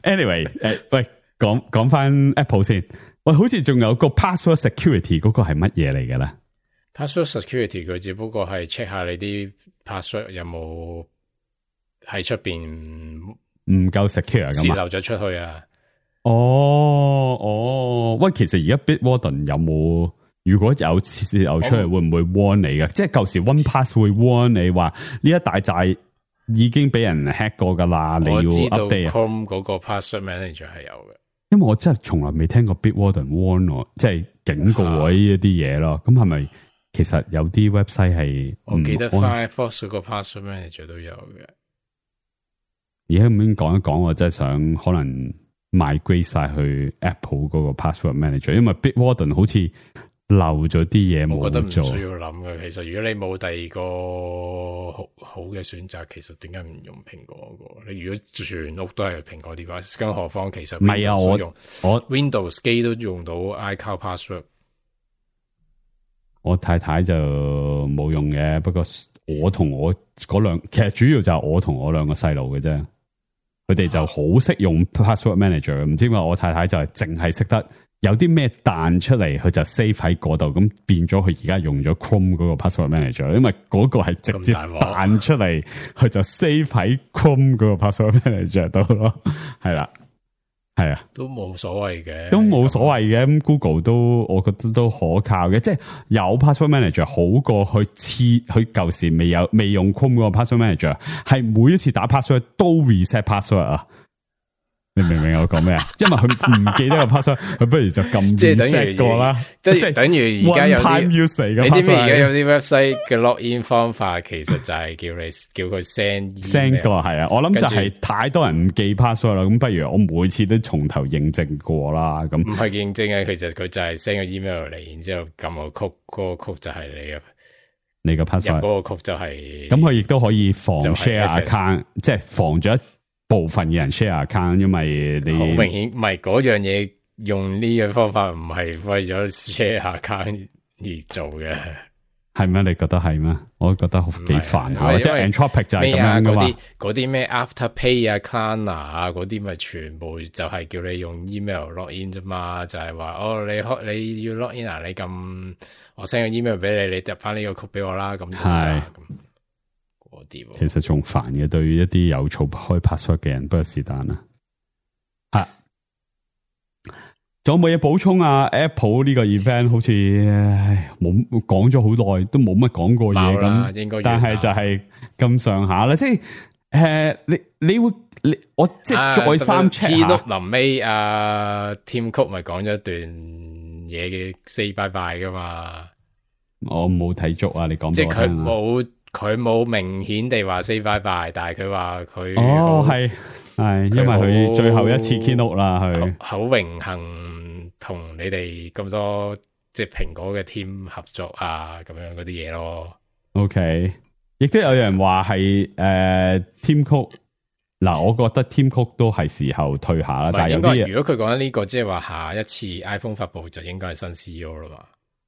anyway， 喂，講翻 Apple 先。喂，好似仲有個 password security 嗰個係乜嘢嚟嘅咧 ？password security 佢只不過係 check 下你啲 password 有冇喺出邊唔夠 secure 咁泄漏咗出去啊？喂，其實而家 Bitwarden 有冇？如果有泄漏出嚟，會唔會 warn 你嘅？即係舊時 OnePass 會 warn 你話呢一大寨已經俾人 hack 過噶啦，你要 update 啊。Chrome 嗰個 password manager 係有嘅。因為我真係從來未聽過 Bitwarden warn 我，即係警告我呢一啲嘢咯。咁係咪其實有啲 website 係？我記得 Firefox 嗰個 password manager 都有嘅。而家咁樣講一講，我真係想可能 migrate 晒去 Apple 嗰個 password manager， 因為 Bitwarden 好似漏咗啲嘢冇做。我覺得唔需要諗嘅。其實如果你冇第二個好嘅選擇，其實點解唔用蘋果嗰個？你如果全屋都係蘋果 device， 更何況其實唔係啊，我 Windows 機都用到 iCloud password。我太太就冇用嘅，不過我同我嗰兩，其實主要就係我同我兩個細路嘅啫。佢哋就好識用 password manager， 唔知點解我太太就係淨係識得有啲咩彈出嚟，佢就 save 喺嗰度，咁變咗佢而家用咗 Chrome 嗰個 password manager， 因為嗰個係直接彈出嚟，佢就 save 喺 Chrome 嗰個 password manager 度咯，係啦，係啊，都冇所謂嘅，都冇所謂嘅。咁 Google 都我覺得都可靠嘅，即係有 password manager 好過去佢舊時未用 Chrome 嗰個 password manager， 係每一次打 password 都 reset password 啊。你明唔明我講咩啊？因為佢唔記得個 password， 佢不如就撳 reset 過啦。即係等於而家有啲，你知唔知而家有啲 website 嘅 login 方法，其實就係叫佢 send 過係啊。我諗就係太多人唔記 password 啦，咁不如我每次都從頭認證過啦。咁唔係認證啊，其實佢就係 send 個 email 嚟，然之後撳個曲，嗰個曲就係你嘅 password， 入嗰個曲就係。咁佢亦都可以防 share account， 即係防咗部分嘅人 share account， 因為你好明顯唔係嗰樣嘢，用呢樣方法唔係為咗 share account 而做嘅，係咩？你覺得係咩？我覺得幾煩下，即係 Anthropic 就係咁樣噶嘛。嗰啲咩 Afterpay 啊、Klarna 啊嗰啲，咪全部就係叫你用 email login 啫嘛，就係話你要 login 啊，你撳我 send 個 email 俾你，你入翻呢個 code 俾我啦，咁係。其實仲煩嘅，對於一啲有儲開 password 嘅人，不過是但啦。吓，仲有冇嘢補充啊 ？Apple 呢個 event 好似冇講咗好耐，都冇乜講過嘢咁，但係就係咁上下啦。即係我即係再三 check 下。臨尾Tim Cook 咪講咗一段嘢嘅 say bye bye 噶嘛？我冇睇足啊！你講即係佢冇明顯地話 say bye bye， 但係佢話佢係因為佢最後一次 keynote 啦，佢好榮幸同你哋咁多即係蘋果嘅 team 合作啊，咁樣嗰啲嘢咯。OK， 亦都有人話係Tim Cook 嗱，我覺得 Tim Cook 都係時候退下啦。但係有啲如果佢講緊呢個，即係話下一次 iPhone 發布就應該係新 CEO 啦嘛。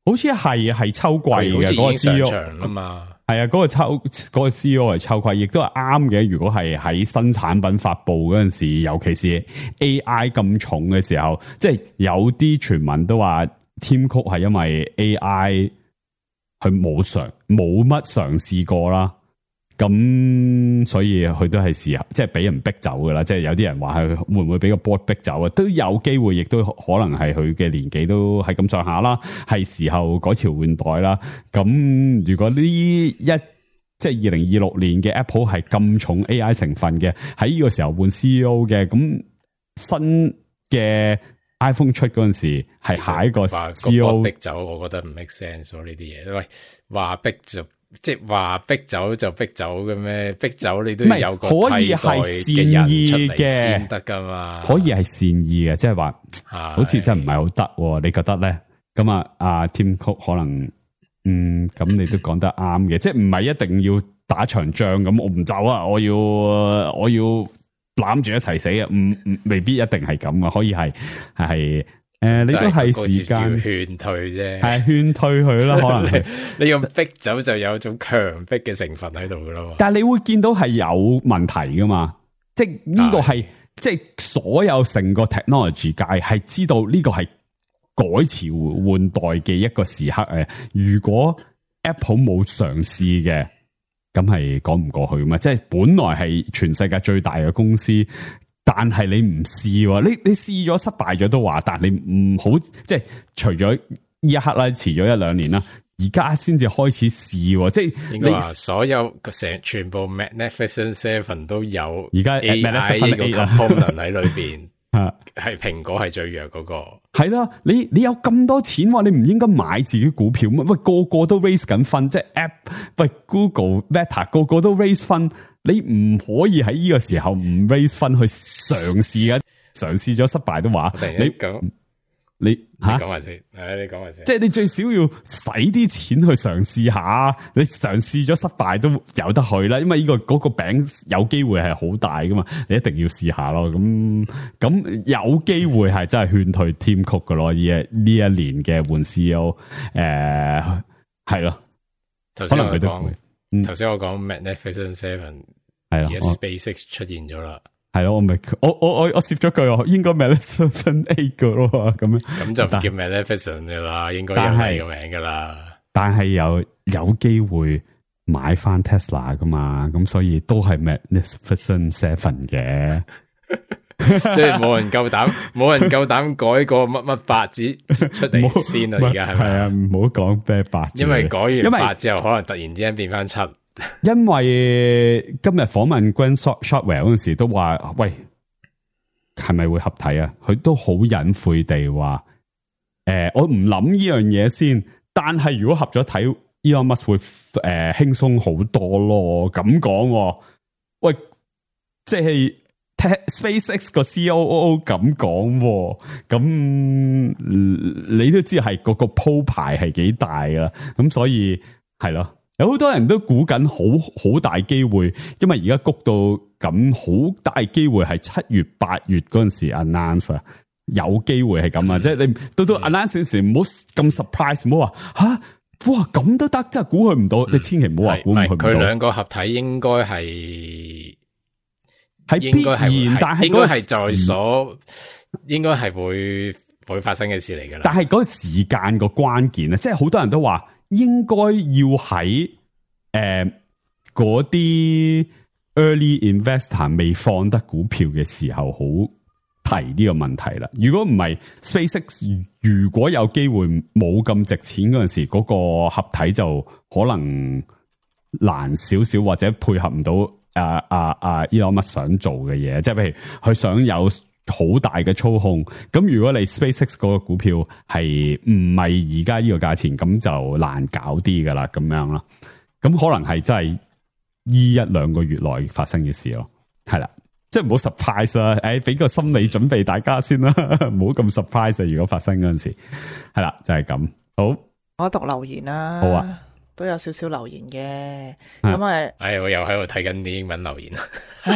好似係秋季嘅嗰個 CEO 啊嘛。係啊，嗰個 CEO 係秋季，亦都係啱嘅。如果係喺新產品發布嗰陣時，尤其是 AI 咁重嘅時候，即係有啲傳聞都話 Tim Cook 係因為 AI 佢冇乜嘗試過啦，咁所以佢都係時候即係俾人逼走噶啦。即係有啲人話係會唔會俾個 board 逼走啊？都有機會，亦都可能係佢嘅年紀都係咁上下啦，係時候改朝換代啦。咁如果即係2026年嘅 Apple 係咁重 AI 成分嘅，喺呢個時候換 CEO 嘅，咁新嘅 iPhone 出嗰陣時係下一個 CEO 逼走，我覺得唔 make sense 咯呢啲嘢。喂，話逼就即係話逼走就逼走嘅咩？逼走你都要有個替代嘅人出嚟先得噶嘛？可以係善意嘅，即係話好似真係唔係好得，你覺得咧？咁阿 Tim Cook 可能咁你都講得啱嘅，即係唔係一定要打場仗咁，我唔走啊，我要攬住一齊死啊！未必一定係咁啊，可以係。你都係時間勸退啫，係勸退佢啦。可能你用逼走就有種強迫嘅成分喺度噶咯。但係你會見到係有問題噶嘛？即係呢個係即係所有成個 technology 界係知道呢個係改朝換代嘅一個時刻誒。如果 Apple 冇嘗試嘅，咁係講唔過去嘛。即係本來係全世界最大嘅公司，但係你唔試，你試咗失敗咗都話，但係你唔好即係除咗呢一刻啦，遲咗1-2年啦。而家先至開始試，即係應該話所有全部 Magnificent Seven 都有而家 AI 個 component 喺裏邊，係蘋果係最弱嗰個。係啦，你有咁多錢，你唔應該買自己股票咩？喂，個個都 raise 緊分，即係 App， 喂 Google、Meta 個個都 raise 分，你唔可以喺呢個時候唔 raise 分去嘗試嘅，嘗試咗失敗都話你講埋先，你講埋先。即係你最少要使啲錢去嘗試下，你嘗試咗失敗都有得去啦。因為呢個餅有機會係好大噶嘛，你一定要試下咯。咁有機會係真係勸退 Tim Cook 噶咯。呢一年嘅換 CEO，係咯。頭先我講 Magnificent Seven， 而家 SpaceX 出現咗啦。係咯，我攝咗句，應該 Magnificent 8個咯，咁就唔叫 Magnificent 噶啦，應該有第二個名噶啦。但係有機會買翻 Tesla 噶嘛，咁所以都係 Magnificent 7嘅。即係冇人夠膽改個乜8字出嚟先啦，而家係咪？係啊，唔好講咩8字，因為改完8之後，可能突然之間變翻7。因為今日訪問 Glenn Shotwell 嗰陣時都話，喂，係咪會合體啊？佢都好隱晦地話，我唔諗呢樣嘢先。但係如果合咗體 ，Elon Musk 會輕鬆好多咯。咁講，喂，即係 SpaceX 個 COO 咁講，咁你都知係嗰個鋪排係幾大噶，咁所以係咯。有好多人都估緊好大機會，因為而家谷到咁，好大機會係7月8月嗰陣時 announce 啊，有機會係咁啊！即係你到 announce 時唔好咁 surprise， 唔好話吓，哇咁都得，真係估佢唔到，你千祈唔好話估佢唔到。佢兩個合體應該係必然，但係應該係在所，應該係會發生嘅事嚟噶啦。但係嗰個時間個關鍵啊，即係好多人都話。應該要喺嗰啲 early investor 未放得股票嘅時候，好提呢個問題啦。如果唔係 SpaceX， 如果有機會冇咁值錢嗰陣時，嗰個合體就可能難少少，或者配合唔到Elon Musk 想做嘅嘢，即係譬如佢想有好大嘅操控，咁如果你 SpaceX 嗰個股票係唔係而家呢個價錢，咁就難搞啲噶啦，咁樣啦，咁可能係真係呢1-2個月內發生嘅事咯，係啦，即係唔好 surprise 啦，俾個心理準備大家先啦，唔好咁 surprise 啊！如果發生嗰陣時，係啦，就係咁。好，我讀留言啦，好啊。都有少少留言嘅，咁我又喺度睇緊啲英文留言，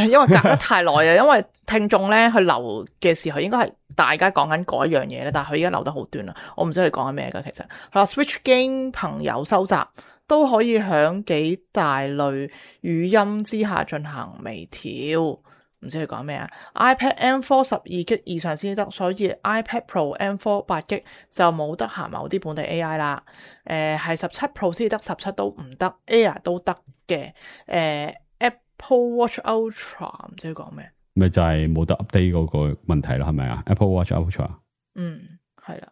因為隔得太耐啊，因為聽眾咧佢留嘅時候應該係大家講緊嗰一樣嘢咧，但係佢而家留得好短啦，我唔知佢講緊咩噶。其實Switch Game 朋友收集都可以響幾大類語音之下進行微調。唔知佢講咩啊 ？iPad M4 12GB 以上先得，所以 iPad Pro M4 8GB 就冇得行某啲本地 AI 啦。係17 Pro 先得，17都唔得 ，Air 都得嘅。Apple Watch Ultra 唔知佢講咩？咪就係冇得 update 嗰個問題咯，係咪啊 ？Apple Watch Ultra，係啦，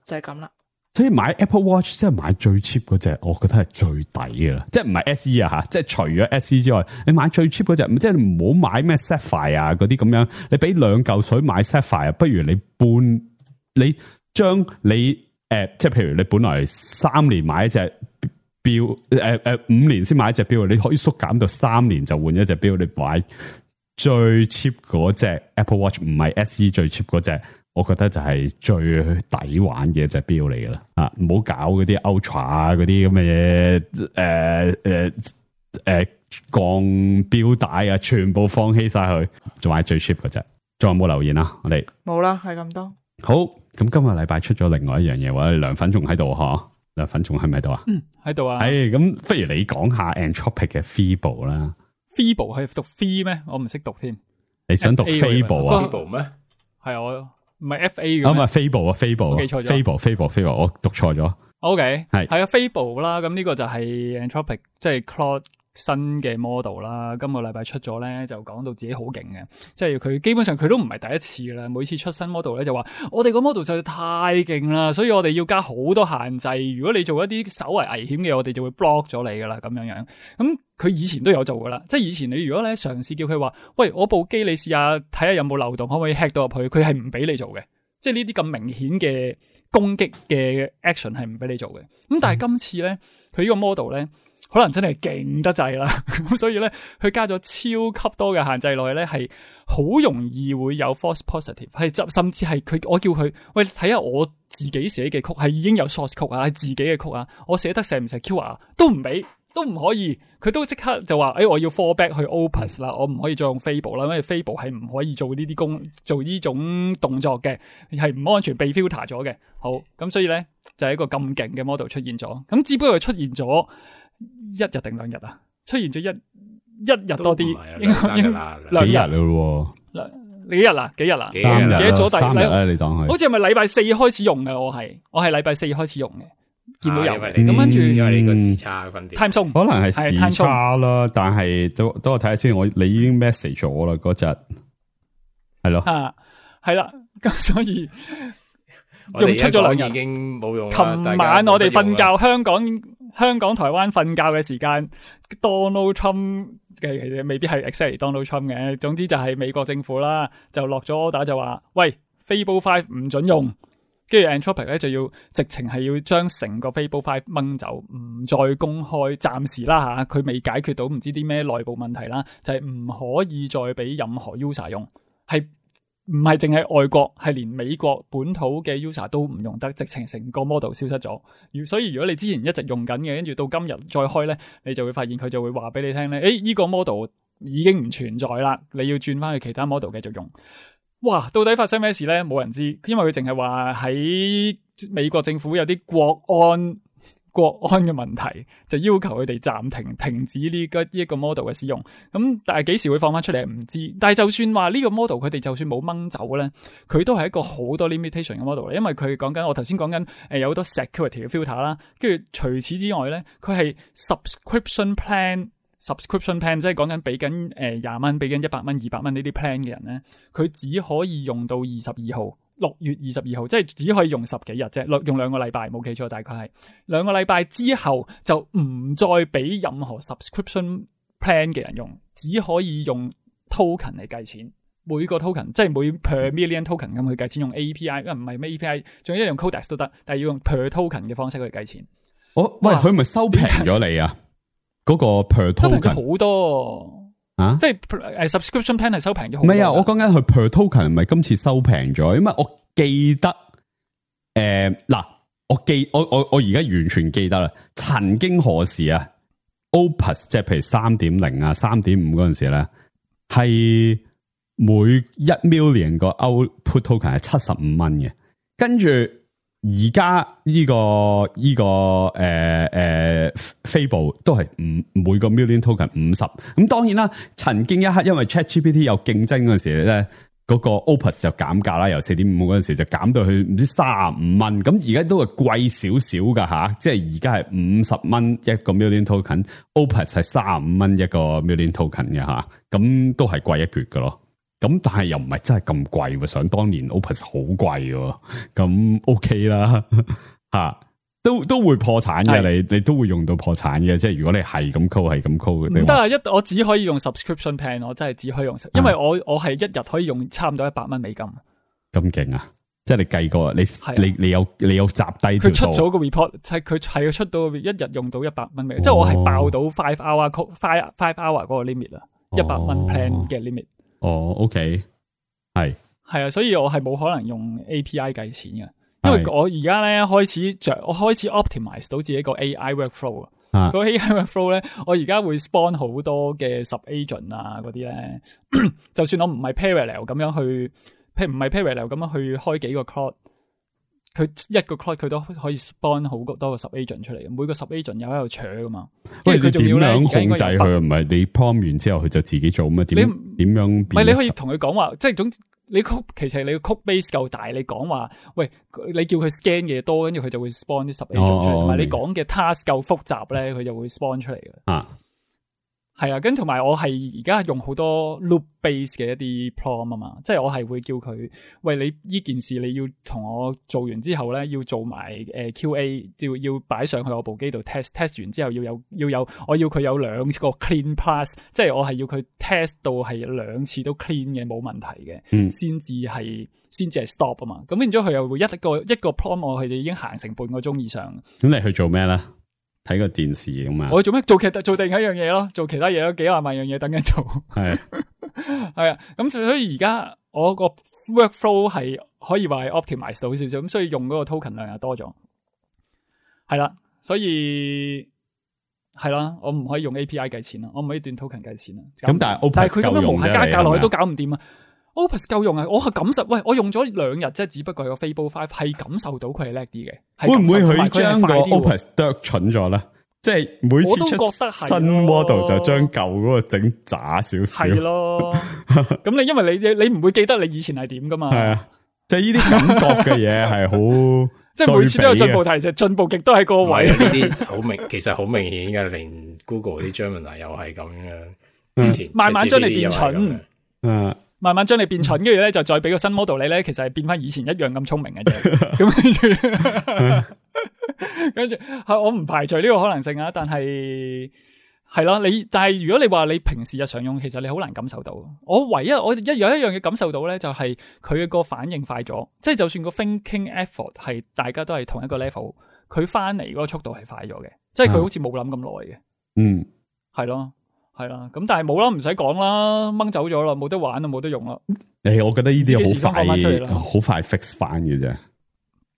就係咁啦。所以買 Apple Watch 即係買最 cheap 嗰隻，我覺得係最抵嘅啦。即係唔係 SE 啊吓，即係除咗 SE 之外，你買最 cheap 嗰隻，即係唔好買咩 Sapphire 啊嗰啲咁樣。你俾2嚿水買 Sapphire， 不如你將你即係譬如你本來3年買一隻錶，5年先買一隻錶，你可以縮減到3年就換一隻錶。你買最 cheap 嗰隻 Apple Watch， 唔係 SE 最 cheap 嗰隻。我覺得就係最抵玩嘅一隻錶嚟噶啦，唔好搞嗰啲 Ultra 啊，嗰啲咁嘅嘢，鋼錶帶啊，全部放棄晒佢，仲買最 cheap 嗰隻。仲有冇留言啊？我哋冇啦，係咁多。好，咁今個禮拜出咗另外一樣嘢，我哋涼粉仲喺度嗬？涼粉仲喺咪度啊？喺度啊。咁不如你講下 Anthropic 嘅 Feeble 啦。Feeble 係讀 Fee 咩？我唔識讀添。你想讀 Fable 啊 Fable 咩？係我唔係 FA 嘅，唔係 Fable 啊 Fable，我記錯咗 Fable，我讀錯咗。OK 係啊 Fable 啦，咁呢個就係 Anthropic 即係 Claude 新嘅 model 啦，今個禮拜出咗咧，就講到自己好勁嘅，即係佢基本上佢都唔係第一次啦，每次出新 model 咧就話我哋個 model 實在太勁啦，所以我哋要加好多限制，如果你做一啲稍為危險嘅，我哋就會 block 咗你噶啦，咁樣。咁佢以前都有做噶啦，即係以前你如果咧嘗試叫佢話，喂，我部機你試下睇下有冇漏洞，可唔可以 hack 到入去，佢係唔俾你做嘅，即係呢啲咁明顯嘅攻擊嘅 action 係唔俾你做嘅。咁但係今次咧，佢呢個 model 咧。可能真係勁得滯啦，咁所以咧，佢加咗超級多嘅限制落去咧，係好容易會有 false positive， 係甚至係我叫佢喂睇下我自己寫嘅曲係已經有 source code 啊，係自己嘅曲啊，我寫得成唔成 Q 啊，都唔俾，都唔可以，佢都即刻就話，我要 fall back 去 Opus 啦，我唔可以再用 Fable 啦，因為 Fable 係唔可以做呢啲做呢種動作嘅，係唔安全被 filter 咗嘅。好，咁所以咧就係一個咁勁嘅 model 出現咗，咁只不過出現咗。1日定2日啊？出現咗一日多啲，應該2日咯。幾日啦？幾多咗3日啦？你當佢好似係咪禮拜4開始用嘅？我係禮拜4開始用嘅，見到有咁跟住因為你個時差分別 time zone 可能係時差啦，但係都我睇下先。你已經 message 咗啦嗰日，係咯，係啦，咁所以用出咗2日已經冇用。琴晚我哋瞓覺，香港、台灣瞓覺嘅時間 ，Donald Trump 嘅其實未必係 exactly Donald Trump 嘅，總之就係美國政府啦，就落咗 order就話，喂 ，Fable 5唔准用，跟住 Anthropic 咧就要直情係要將成個 Fable 5掹走，唔再公開，暫時啦吓，佢未解決到唔知啲咩內部問題啦，就係唔可以再俾任何 user 用，係。唔係淨係外國，係連美國本土嘅 user 都唔用得，直情成個 model 消失咗。所以如果你之前一直用緊嘅，跟住到今日再開咧，你就會發現佢就會話俾你聽咧，呢個 model 已經唔存在啦，你要轉翻去其他 model 繼續用。哇，到底發生咩事咧？冇人知，因為佢淨係話喺美國政府有啲國安嘅問題，就要求佢哋暫停止呢個 model 嘅使用。咁但係幾時會放翻出嚟唔知。但係就算話呢個 model 佢哋就算冇掹走咧，佢都係一個好多 limitation 嘅 model，因為佢講緊我頭先講緊有好多 security 嘅 filter 啦，跟住除此之外咧，佢係 subscription plan 即係講緊俾緊20蚊、俾緊100蚊、200蚊呢啲 plan 嘅人咧，佢只可以用到22號。6月22號，即係只可以用10幾日啫，用2個禮拜，冇記錯，大概係2個禮拜之後就唔再俾任何 subscription plan 嘅人用，只可以用 token 嚟計錢，每個 token 即係每 per million token 咁去計錢，用 API， 唔係咩 API， 仲要用 Codex 都得，但係要用 per token 嘅方式去計錢。喂，佢咪收平咗你啊？嗰個 per token 收平咗好多。即係subscription plan 係收平咗好多。唔係啊，我講緊佢 per token 唔係今次收平咗，因為我記得我而家完全記得啦。曾經何時啊 ，Opus 即係譬如 3.0 啊、3.5 嗰陣時咧，係每1 million 個 output token 係75蚊嘅，跟住。而家呢個Fable 都係每個 million token 50，咁當然啦，曾經一刻因為 ChatGPT 有競爭嗰陣時咧，嗰個 Opus 就減價啦，由 4.5 嗰陣時就減到去唔知35蚊，咁而家都係貴少少噶吓，即係而家係50蚊一個 million token，Opus 係35蚊一個 million token 嘅吓，咁都係貴一橛噶咯。咁但係又唔係真係咁貴喎，想當年 Opus 好貴喎，咁 OK 啦吓，都會破產嘅，你都會用到破產嘅，即係如果你係咁 call 係咁 call 嘅。唔得啊，我只可以用 subscription plan， 我真係只可以用，因為我係一日可以用差唔多100蚊美金。咁勁啊！即係你計過，你有集低條數。佢出咗個 report， 佢係出到一日用到100蚊美金，即係我係爆到5 hour 嗰個 limit 啦，100蚊 plan 嘅 limit。OK， 係啊，所以我係冇可能用 API 計錢嘅，因為我而家咧開始 optimize 到自己個 AI workflow 啊，個 AI workflow 咧，我而家會 spawn 好多嘅 sub agent 啊嗰啲咧，就算我唔係 parallel 咁樣去，譬如唔係 parallel 咁樣去開幾個 cloud，佢一個 cloud 佢都可以 spawn 好多個 sub agent 出嚟，每個 sub agent 又喺度搶噶嘛。喂，你點佢仲要咧樣控制佢？唔係你 prompt 完之後佢就自己做咩？點樣？唔係你可以同佢講話，即係總你其實你個 code base 夠大，你講話喂，你叫佢 scan 嘅嘢多，跟住佢就會 spawn 啲 sub agent 出嚟，同埋你講嘅 task 夠複雜咧，佢就會 spawn 出嚟嘅。啊。係啊，跟同埋我係而家用好多 loop base 嘅一啲 prompt 啊嘛，即係我係會叫佢，喂，你呢件事你要同我做完之後咧，要做埋QA，要擺上去我部機度 test 完之後要有，我要佢有2個 clean pass， 即係我係要佢 test 到係2次都 clean 嘅冇問題嘅，先至係 stop 啊嘛。咁變咗佢又會一個 prompt 我係已經行成半個鐘以上。咁你去做咩咧？睇個電視咁啊！我做咩？做另一樣嘢咯，做其他嘢咯，幾廿萬樣嘢等緊做。係係啊，咁所以而家我個 workflow 係可以話係 optimize 到少少，咁所以用嗰個 token 量又多咗。係啦，所以係啦，我唔可以用 API 計錢啦，我唔可以斷 token 計錢啦。咁但係佢咁樣無限加價落去都搞唔掂啊！Opus 夠用啊！我係感受，喂，我用咗2日啫，只不過係個 Fable 5係感受到佢係叻啲嘅。會唔會佢將個 Opus 剁蠢咗咧？即係每次出新 model 就將舊嗰個整渣少少。係咯，咁因為你唔會記得你以前係點噶嘛？係啊，即係呢啲感覺嘅嘢係好，即係每次都有進步，提升進步極都喺個位。呢啲好明，其實好明顯嘅，連 Google 啲 Gemini 又係咁樣。之前慢慢將你變蠢，慢慢將你變蠢，跟住咧就再俾個新 model 你咧，其實係變翻以前一樣咁聰明嘅啫。咁跟住我唔排除呢個可能性啊，但係係咯，但係如果你話你平時日常用，其實你好難感受到。我唯一有一樣嘢感受到咧，就係佢個反應快咗，即係就算個 thinking effort 係大家都係同一個 level， 佢翻嚟嗰個速度係快咗嘅，即係佢好似冇諗咁耐嘅。嗯，係咯。係啦，咁但係冇啦，唔使講啦，掹走咗啦，冇得玩啦，冇得用啦。我覺得呢啲好快 fix 翻嘅啫，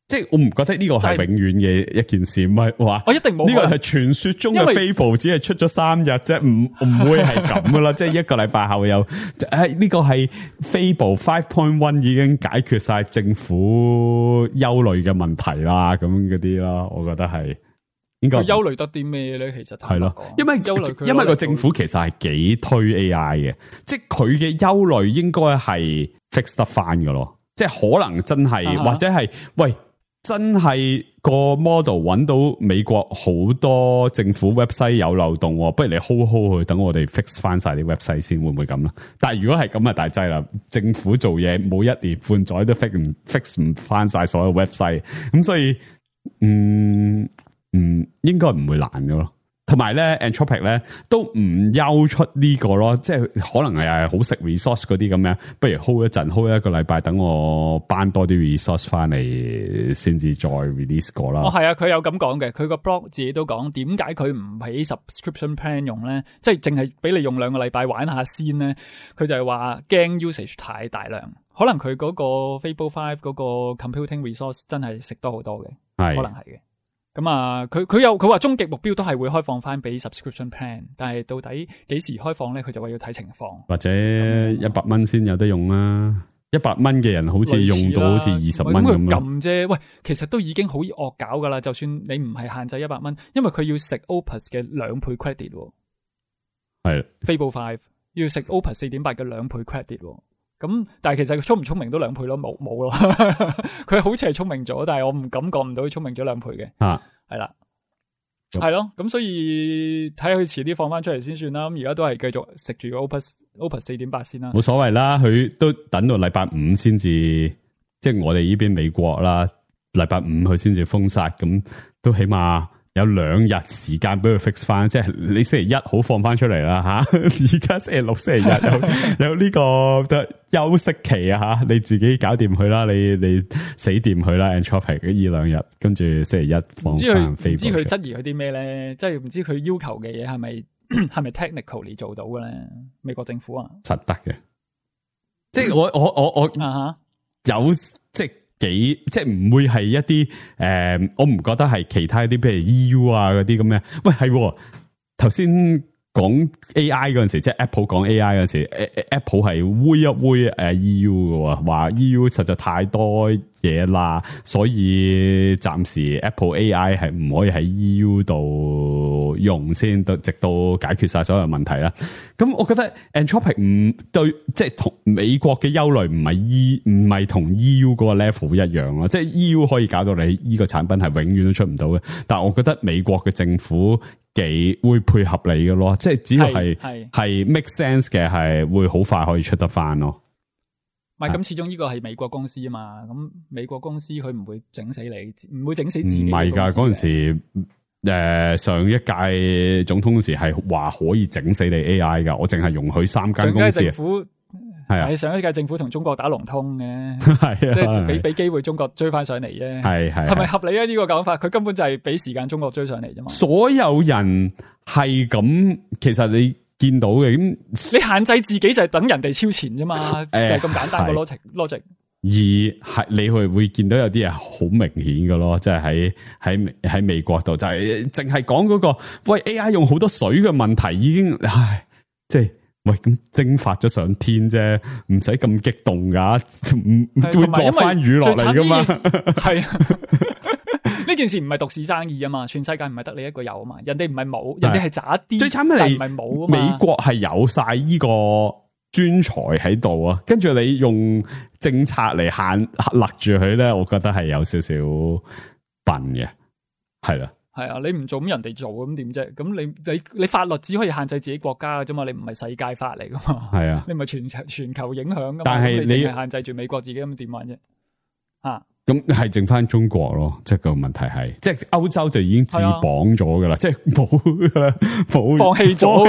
即係我唔覺得呢個係永遠嘅一件事，唔係話我一定冇呢個係傳說中嘅 Fable，只係出咗3日啫，唔會係咁噶啦，即係1個禮拜後有呢個係 Fable 5.1 已經解決晒政府憂慮嘅問題啦，咁嗰啲啦，我覺得係。佢憂慮得啲咩咧？其實係咯，因為個政府其實係幾推 AI 嘅，即係佢嘅憂慮應該係 fix 得翻嘅咯。即係可能真係或者係喂，真係個 model 揾到美國好多政府 website 有漏洞，不如你 hold 佢，等我哋 fix 翻晒啲 website 先，會唔會咁咧？但係如果係咁啊，大劑啦！政府做嘢冇1年半載都 fix 唔翻晒所有 website， 咁所以應該唔會難嘅咯，同埋咧 Anthropic 咧都唔休出呢個咯，即係可能係好食 resource 嗰啲咁樣，不如 hold 一陣 hold 1個禮拜，等我搬多啲 resource 翻嚟，先至再 release 過啦。係啊，佢有咁講嘅，佢個 blog 自己都講，點解佢唔喺 subscription plan 用咧？即係淨係俾你用2個禮拜玩下先咧？佢就係話驚 usage 太大量，可能佢嗰個 Fable 5嗰個 computing resource 真係食多好多嘅，可能係嘅。咁啊，佢話終極目標都係會開放翻俾 subscription plan， 但係到底幾時開放咧？佢就話要睇情況，或者100蚊先有得用啦。100蚊嘅人好似用到好似20蚊咁咯。撳啫，喂，其實都已經好惡搞噶啦。就算你唔係限制100蚊，因為佢要食 Opus 嘅2倍 credit， 係 Fable 5要食 Opus 4.8 嘅2倍 credit。咁但係其實佢聰唔聰明都2倍咯，冇咯。佢好似係聰明咗，但係我唔感覺唔到佢聰明咗2倍嘅。係啦，係咯。咁所以睇下佢遲啲放翻出嚟先算啦。咁而家都係繼續食住個 Opus 4.8 先啦。冇所謂啦，佢都等到禮拜5先至，即係我哋呢邊美國啦，禮拜5佢先至封殺，咁都起碼有2日時間俾佢 fix 翻，即係你星期1好放翻出嚟啦吓，而家星期6、星期日有呢個休息期啊吓，你自己搞掂佢啦，你死掂佢啦 Anthropic 呢2日，跟住星期1放翻。唔知佢質疑佢啲咩咧？即係唔知佢要求嘅嘢係咪 technically 做到嘅咧？美國政府啊，實得嘅，即係我有即係。即係唔會係一啲我唔覺得係其他啲譬如 EU 啊嗰啲咁嘅。喂，係頭先講 AI 嗰陣時，即係 Apple 講 AI 嗰陣時 ，Apple 係煨一煨EU 嘅，話 EU 實在太多嘢啦，所以暫時 Apple AI 係唔可以喺 EU 度用先，直到解決晒所有問題啦。咁我覺得 Anthropic 唔對，即係同美國嘅憂慮唔係同 EU 嗰個 level 一樣咯，即係 EU 可以搞到你呢個產品係永遠都出唔到嘅，但係我覺得美國嘅政府幾會配合你嘅咯，即係只要係 make sense 嘅，係會好快可以出得翻咯。唔係咁，始終呢個係美國公司啊嘛，咁美國公司佢唔會整死你，唔會整死自己。唔係噶，嗰陣時上一屆總統嗰時係話可以整死你 AI 噶，我淨係容許3間公司。係啊，上一屆政府同中國打龍通嘅，係啊，即係俾機會中國追翻上嚟啫。係咪合理啊？呢個講法，佢根本就係俾時間中國追上嚟啫嘛。所有人係咁，其實你見到嘅咁，你限制自己就係等人哋超前啫嘛，就係咁簡單個 logic。而係你會見到有啲嘢好明顯嘅咯，即係喺美國度就係淨係講嗰個喂 AI 用好多水嘅問題已經，即係。喂，咁蒸發咗上天啫，唔使咁激動噶，會落翻雨落嚟噶嘛？係呢件事唔係獨市生意啊嘛，全世界唔係得你一個有啊嘛，人哋唔係冇，人哋係渣啲，最慘係唔係冇啊嘛。美國係有晒呢個專才喺度啊，跟住你用政策嚟勒住佢咧，我覺得係有少少笨嘅，係啦。係啊，你唔做咁人哋做咁點啫？咁你法律只可以限制自己國家嘅啫嘛，你唔係世界法嚟噶嘛？係啊，你唔係全球影響噶嘛？但係你係限制住美國自己咁點玩啫？咁係剩翻中國咯，即係個問題係，即係歐洲就已經自綁咗噶啦，即係冇噶啦，冇放棄咗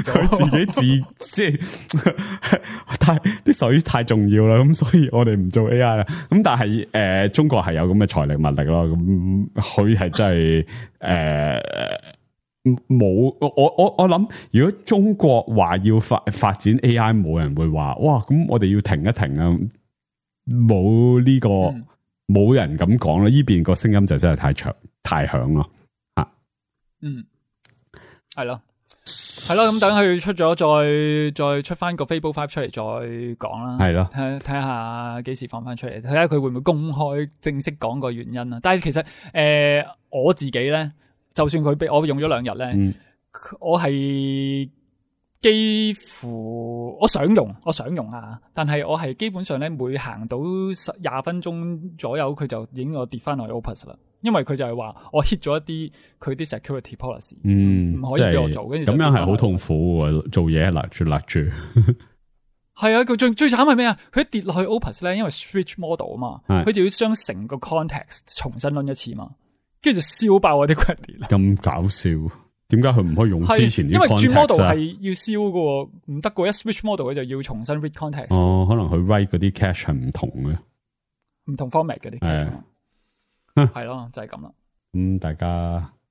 佢自己即係啲水太重要啦，咁所以我哋唔做 AI 啦。咁但係中國係有咁嘅財力物力咯，咁佢係真係冇我諗，如果中國話要發展 AI， 冇人會話哇，咁我哋要停一停啊！冇呢個冇人咁講啦，呢邊個聲音就真係太響咯，係咯，咁等佢出咗再出翻個 Fable 5出嚟再講啦，係咯，睇下幾時放翻出嚟，睇下佢會唔會公開正式講個原因啦。但係其實我自己咧，就算佢俾我用咗2日咧，我係。幾乎我想用啊，但係我係基本上咧，每行到20分鐘左右，佢就已經我跌翻落去 Opus 啦。因為佢就係話我 hit 咗一啲佢啲 security policy，唔可以俾我做，跟住咁樣係好痛苦喎，做嘢勒住。係啊，佢最慘係咩啊？佢一跌落去 Opus 咧，因為 switch model 啊嘛，佢就要將成個 context 重新 run 一次嘛，跟住就燒爆我啲 credit 啦。咁搞笑。點解佢唔可以用之前啲 context 啊？因為轉 model 係要燒嘅，唔得嘅。一 switch model 佢就要重新 read context。可能佢 write 嗰啲 cache 係唔同嘅，唔同 format 嗰啲 cache。係咯，就係咁啦。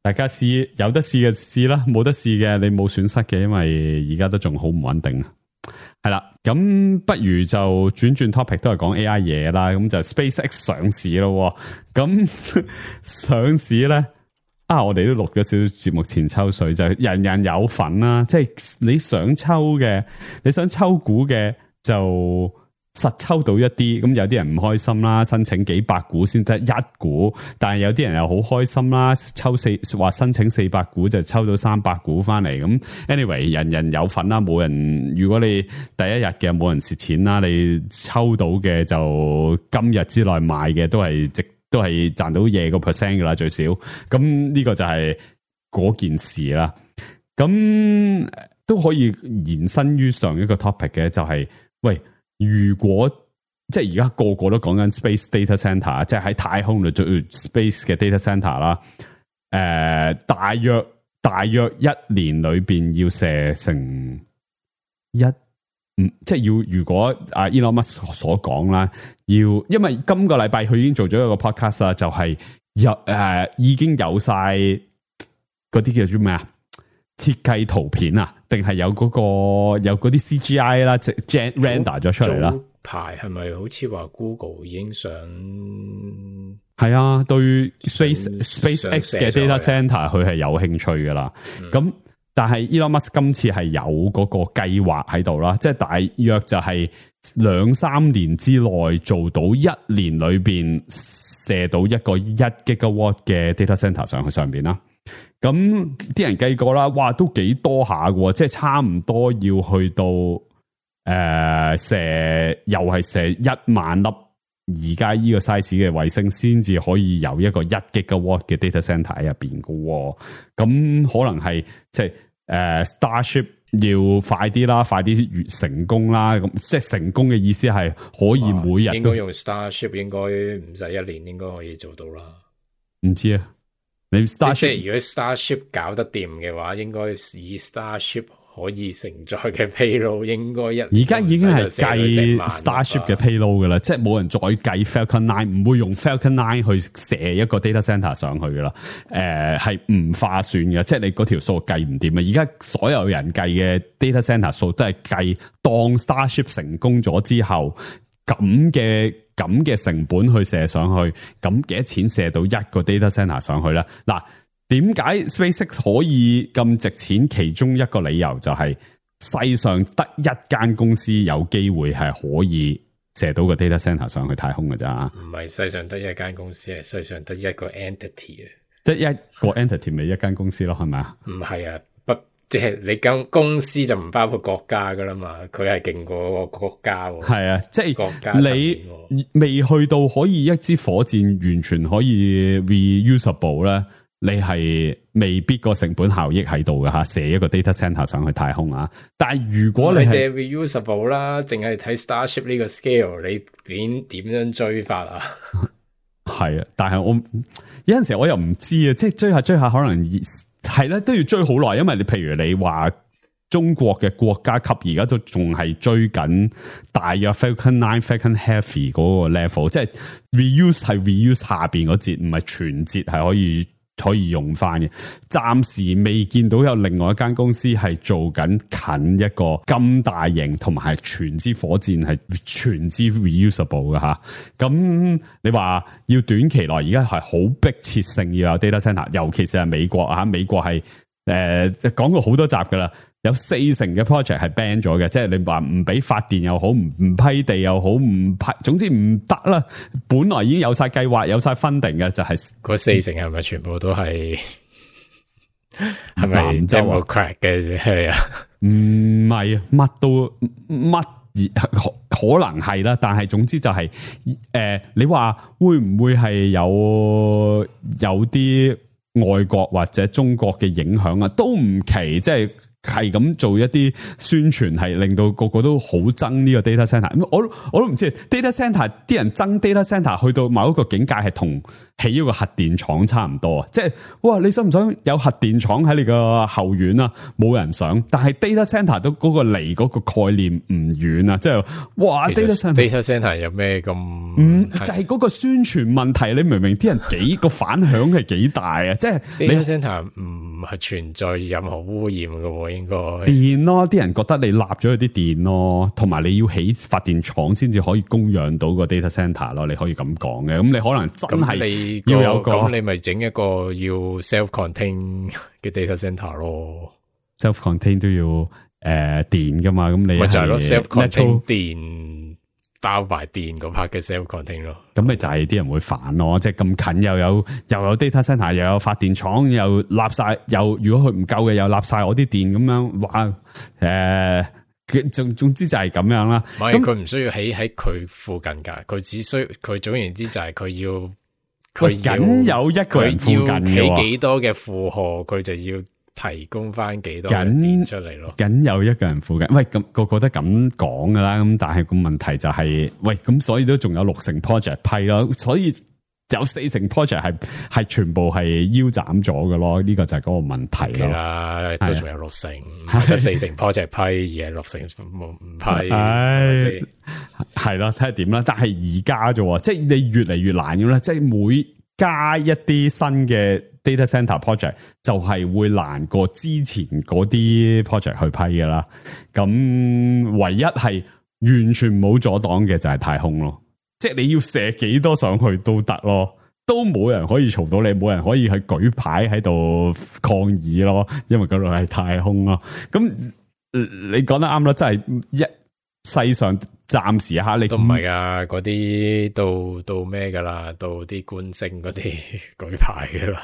大家試有得試嘅試啦，冇得試嘅你冇損失嘅，因為而家都仲好唔穩定。係啦，咁不如就轉 topic， 都係講 AI 嘢啦。咁就 SpaceX 上市咯。咁上市咧。我哋都錄咗少少節目前抽水，就係人人有份啦。即係你想抽股嘅就實抽到一啲，咁有啲人唔開心啦，申請幾百股先得1股，但係有啲人又好開心啦，話申請400股就抽到300股翻嚟。咁 anyway， 人人有份啦，冇人，如果你第一日嘅冇人蝕錢啦，你抽到嘅就今日之內賣嘅都係賺到嘢個 percent 噶啦，最少。咁呢個就係嗰件事啦。咁都可以延伸於上一個 topic 嘅，就係喂，如果即係而家個個都講緊 space data center， 即係喺太空度做 space 嘅 data center 啦。大約1年裏邊要射成即係要，如果Elon Musk 所講啦，因為今個禮拜佢已經做咗一個 podcast 啦，就係已經有晒嗰啲叫做咩啊？設計圖片啊，定係有嗰啲 CGI 啦，即係 render 咗出嚟啦。排係咪好似話 Google 已經想係對 SpaceX 嘅 data center 佢係有興趣噶啦。咁但係 Elon Musk 今次係有嗰個計劃喺度啦，即係大約就係2-3年之內做到1年裏邊射到一個1 gigawatt 嘅 data center 上去上邊啦。咁啲人計過啦，哇，都幾多下嘅，即係差唔多要去到射又係射1萬粒而家呢個 size 嘅衛星，先至可以有一個1 gigawatt 嘅 data center 喺入邊嘅。咁可能係即係Starship 要快啲啦，快啲越成功啦。咁即係成功嘅意思係可以每日應該用 Starship 應該唔使1年，應該可以做到啦。唔知啊。你 Starship 即係如果 Starship 搞得掂嘅話，應該以 Starship 可以承載嘅 payload 應該而家已經係計 Starship 嘅 payload 噶啦，即係冇人再計 Falcon 9，唔會用 Falcon 9去射一個 data center 上去噶啦。係唔划算嘅，即係你嗰條數計唔掂啊！而家所有人計嘅 data center 數都係計當 Starship 成功咗之後咁嘅成本去射上去，咁幾多錢射到一個 data center 上去咧？嗱，點解 SpaceX 可以咁值錢？其中一個理由就係世上得一間公司有機會係可以射到個 data center 上去太空嘅咋？唔係世上得一間公司，係世上得一個 entity 啊！即係一個 entity 咪一間公司咯，係咪啊？唔係啊，即係你間公司就唔包括國家噶啦嘛，佢係勁過個國家。係啊，即係國家你未去到可以一支火箭完全可以 reusable 咧，你係未必個成本效益喺度嘅吓，射一個 data center 上去太空啊！但係如果你係 reusable 啦，淨係睇 Starship 呢個 scale， 你點樣追法啊？係啊，但係我有陣時我又唔知啊，即係追下可能係咧，都要追好耐，因為你譬如你話中國嘅國家級而家都仲係追緊大約 Falcon 9 Falcon Heavy 嗰個 level， 即係 reuse 係 reuse 下邊嗰節，唔係全節係可以用翻嘅。暫時未見到有另外一間公司係做緊近一個咁大型同埋係全支火箭係全支 reusable 嘅吓。咁你話要短期內而家係好迫切性要有 data center， 尤其是係美國啊，美國係講過好多集噶啦，有40%嘅 project 係 ban 咗嘅，即係你話唔俾發電又好，唔批地又好，唔批，總之唔得啦。本來已經有晒計劃，有晒 funding 嘅，就係嗰40%係咪全部都係係咪Democrat嘅係啊？唔係，乜都乜可能係啦，但係總之就係你話會唔會係有啲外國或者中國嘅影響啊？都唔奇，即係咁做一啲宣傳，係令到個個都好憎呢個 data center。我都唔知 data center 啲人憎 data center 去到某一個境界，係同起一個核電廠差唔多啊！即係哇，你想唔想有核電廠喺你個後院啊？冇人想，但係 data center 都嗰個離嗰個概念唔遠啊！即係哇 ，data center 有咩咁？就係嗰個宣傳問題，你明唔明？啲人幾個反響係幾大啊！即係 data center 唔係存在任何污染嘅。應該電咯，啲人覺得你立咗佢啲電咯，同埋你要起發電廠先至可以供養到個 data center 咯，你可以咁講嘅。咁你可能真係要有個，咁你咪整一個要 self-contain 嘅 data center 咯。self-contain 都要電噶嘛，咁你咪就係咯 self-contain 電包埋電嗰 part 嘅 self-contain 咯。咁咪就係啲人會煩咯，即係咁近又有 data center， 又有發電廠，又立晒，又如果佢唔夠嘅，又立晒我啲電咁樣，哇！總之就係咁樣啦。唔係佢唔需要起喺佢附近噶，佢總言之就係佢僅有一個人附近嘅，起幾多嘅負荷，佢就要提供翻幾多電出嚟咯。僅有一個人附近，喂，咁個個都咁講噶啦。咁但係個問題就係，喂，咁所以都仲有60% project 批咯，所以有40% project 係全部係腰斬咗嘅咯。呢個就係嗰個問題咯。啦，都仲有60%，得40% project 批，而係60%唔批。係咯，睇下點啦。但係而家啫，即係你越嚟越難嘅啦。即係每加一啲新嘅 data center project 就係會難過之前嗰啲 project 去批噶啦。咁唯一係完全冇阻擋嘅就係太空咯。即係你要射幾多上去都得咯。都冇人可以嘈到你，冇人可以去舉牌喺度抗議咯，因為嗰度係太空咯。咁你講得啱啦，真係世上暫時下你都唔係噶，嗰啲到咩噶啦，到啲觀星嗰啲舉牌噶啦，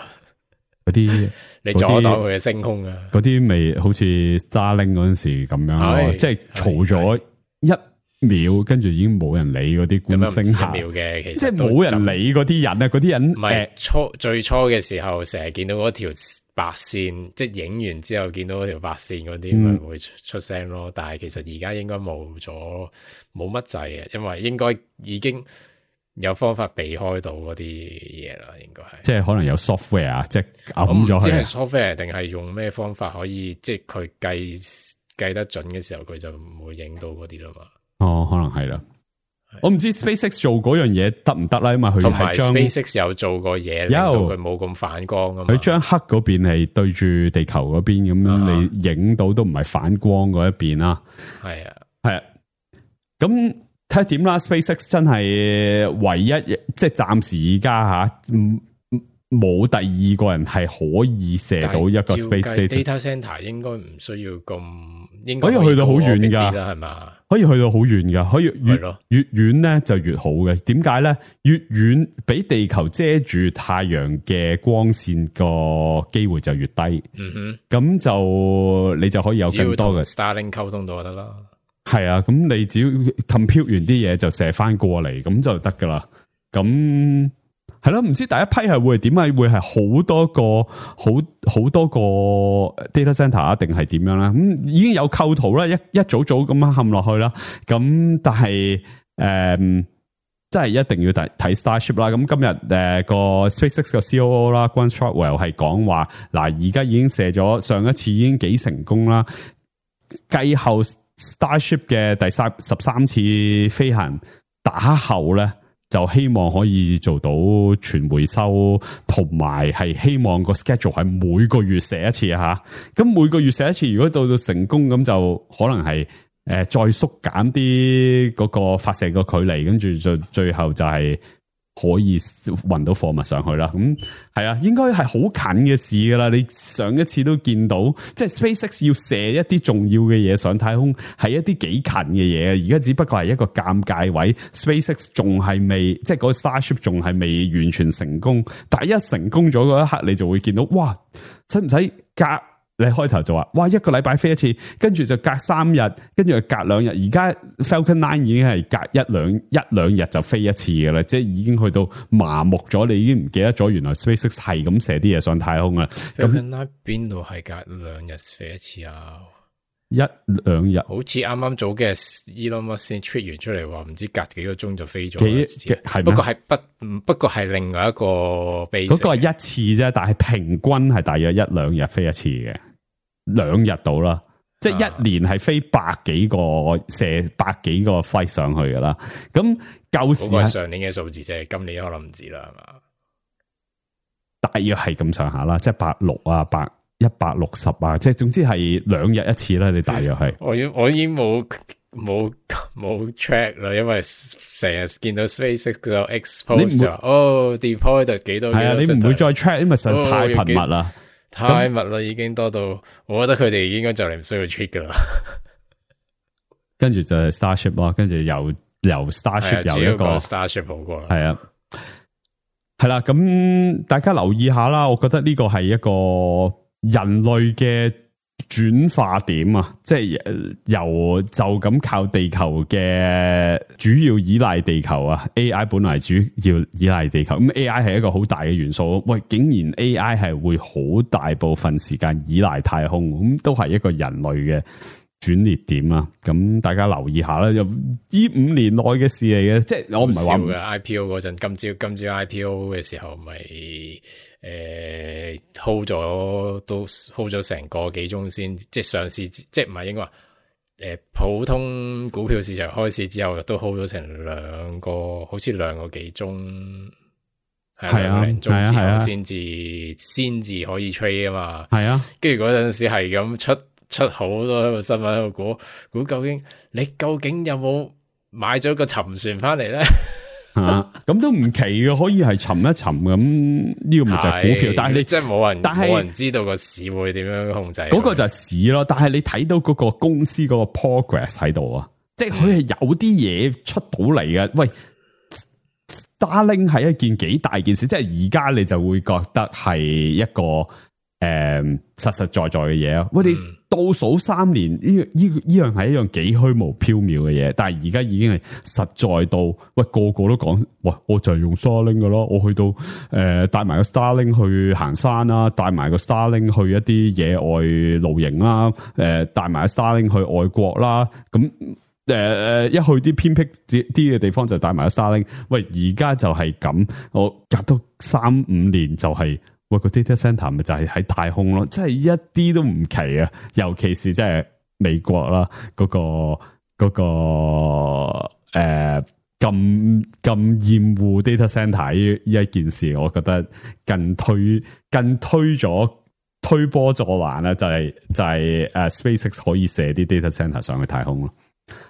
嗰啲你阻擋佢嘅升空啊，嗰啲未好似 Starlink 嗰陣時咁樣咯，即係嘈咗1秒，跟住已經冇人理嗰啲觀星客嘅，其實即係冇人理嗰啲人啊，嗰啲人唔係最初嘅時候，成日見到嗰條白線，即係影完之後見到嗰條白線嗰啲，咪會出聲咯。但係其實而家應該冇乜掣嘅，因為應該已經有方法避開到嗰啲嘢啦。應該係即係可能有 software 啊，即係揞咗佢。即係 software 定係用咩方法可以，即係佢計得準嘅時候，佢就唔會影到嗰啲啦嘛。哦，可能係啦。我唔知 SpaceX 做嗰樣嘢得唔得啦，因為佢係將 SpaceX 有做過嘢，令到佢冇咁反光啊嘛。佢將黑嗰邊係對住地球嗰邊咁樣，你影到都唔係反光嗰一邊啦。係啊，係啊。咁睇下點啦。SpaceX 真係唯一，即係暫時而家吓，冇第二個人係可以射到一個 Space Data Center 應該唔需要咁，應該可以去到好遠噶，係嘛？可以去到好遠噶，可以越遠咧就越好嘅。點解咧？越遠俾地球遮住太陽嘅光線個機會就越低。嗯哼，咁就你就可以有更多嘅 Starlink 溝通到就得啦。係啊，咁你只要 compute 完啲嘢就射翻過嚟，咁就得噶啦。咁係咯，唔知第一批係會點啊？會係好多個 data center 啊，定係點樣咧？咁已經有構圖啦，一組組咁樣嵌落去啦。咁但係真係一定要睇 Starship 啦。咁今日個 SpaceX 個 COO 啦 Gwynne Shotwell 係講話嗱，而家已經射咗，上一次已經幾成功啦。繼後 Starship 嘅第13次飛行打後咧，就希望可以做到全回收，同埋係希望個 schedule 係每個月射一次吓。咁每個月射一次，如果到成功咁，就可能係再縮減啲嗰個發射個距離，跟住就最後就係可以運到貨物上去啦。咁係啊，應該係好近嘅事噶啦。你上一次都見到，即係 SpaceX 要射一啲重要嘅嘢上太空，係一啲幾近嘅嘢。而家只不過係一個尷尬位 ，SpaceX 仲係未，即係嗰個 Starship 仲係未完全成功。但係一成功咗嗰一刻，你就會見到，哇！使唔使隔？你開頭就話，哇！一個禮拜飛一次，跟住就隔3日，跟住又隔2日。而家 Falcon 9已經係隔一兩日就飛一次嘅啦，即係已經去到麻木咗，你已經唔記得咗原來 SpaceX 係咁射啲嘢上太空啦。Falcon 9邊度係隔2日飛一次啊？1-2日，好似啱啱早嘅 Elon Musk 先 tweet 完出嚟話，唔知隔幾個鐘就飛咗。係不過係另外一個 base。嗰個係一次啫，但係平均係大約1-2日飛一次嘅，2日到啦。即係一年係飛100幾個射100幾個 flight 上去噶啦。咁舊時係上年嘅數字啫，今年可能唔止啦，係嘛？大約係咁上下啦，即係160啊160啊，即係總之係2日一次啦。你大約係我已經冇 track 啦，因為成日見到 SpaceX 個 expose 就deploy 幾多係啊，你唔會再 track，因為實在太頻密啦，太密啦，已經多到我覺得佢哋應該就嚟唔需要 track 噶啦。跟住就係 Starship 咯，跟住由 Starship 有一個 Starship 好過啦，係啊。係啦，咁大家留意下啦。我覺得呢個係一個人類嘅轉化點啊，即係由就咁靠地球嘅主要依賴地球啊 ，AI 本來主要依賴地球，咁 AI 係一個好大嘅元素。喂，竟然 AI 係會好大部分時間依賴太空，咁都係一個人類嘅轉捩點啊！咁大家留意下啦，就呢5年內嘅事嚟嘅，即係我唔係話嘅 IPO 嗰陣，今朝 IPO 嘅時候咪hold 咗成個幾鐘先，即係上市，即係唔係應該話普通股票市場開市之後都 hold 咗成好似2個幾鐘，係啊，2個鐘之後先至可以 trade 啊嘛，係啊，跟住嗰陣時係咁出好多個新聞喺度估究竟你究竟有冇買咗個沉船翻嚟咧？咁都唔奇嘅，可以係沉一沉咁，呢個咪就係股票。但係你即係冇人知道個市會點樣控制。嗰個就係市咯，但係你睇到嗰個公司嗰個 progress 喺度啊，即係佢係有啲嘢出到嚟嘅。喂，Starlink 係一件幾大件事，即係而家你就會覺得係一個實實在在嘅嘢啊！我哋倒數3年，呢樣係一樣幾虛無縹緲嘅嘢，但係而家已經係實在到，喂個個都講，喂我就係用 Starlink 噶咯，我去到帶埋個 Starlink 去行山啦，帶埋個 Starlink 去一啲野外露營啦，帶埋個 Starlink 去外國啦，咁一去啲偏僻啲嘅地方就帶埋個 Starlink。喂，而家就係咁，我隔到3-5年就係。喂，個 data center 咪就係喺太空咯，真係一啲都唔奇啊！尤其是即係美國啦，嗰個咁厭惡 data center 呢一件事，我覺得更推波助瀾啦，就係SpaceX 可以射啲 data center 上去太空咯。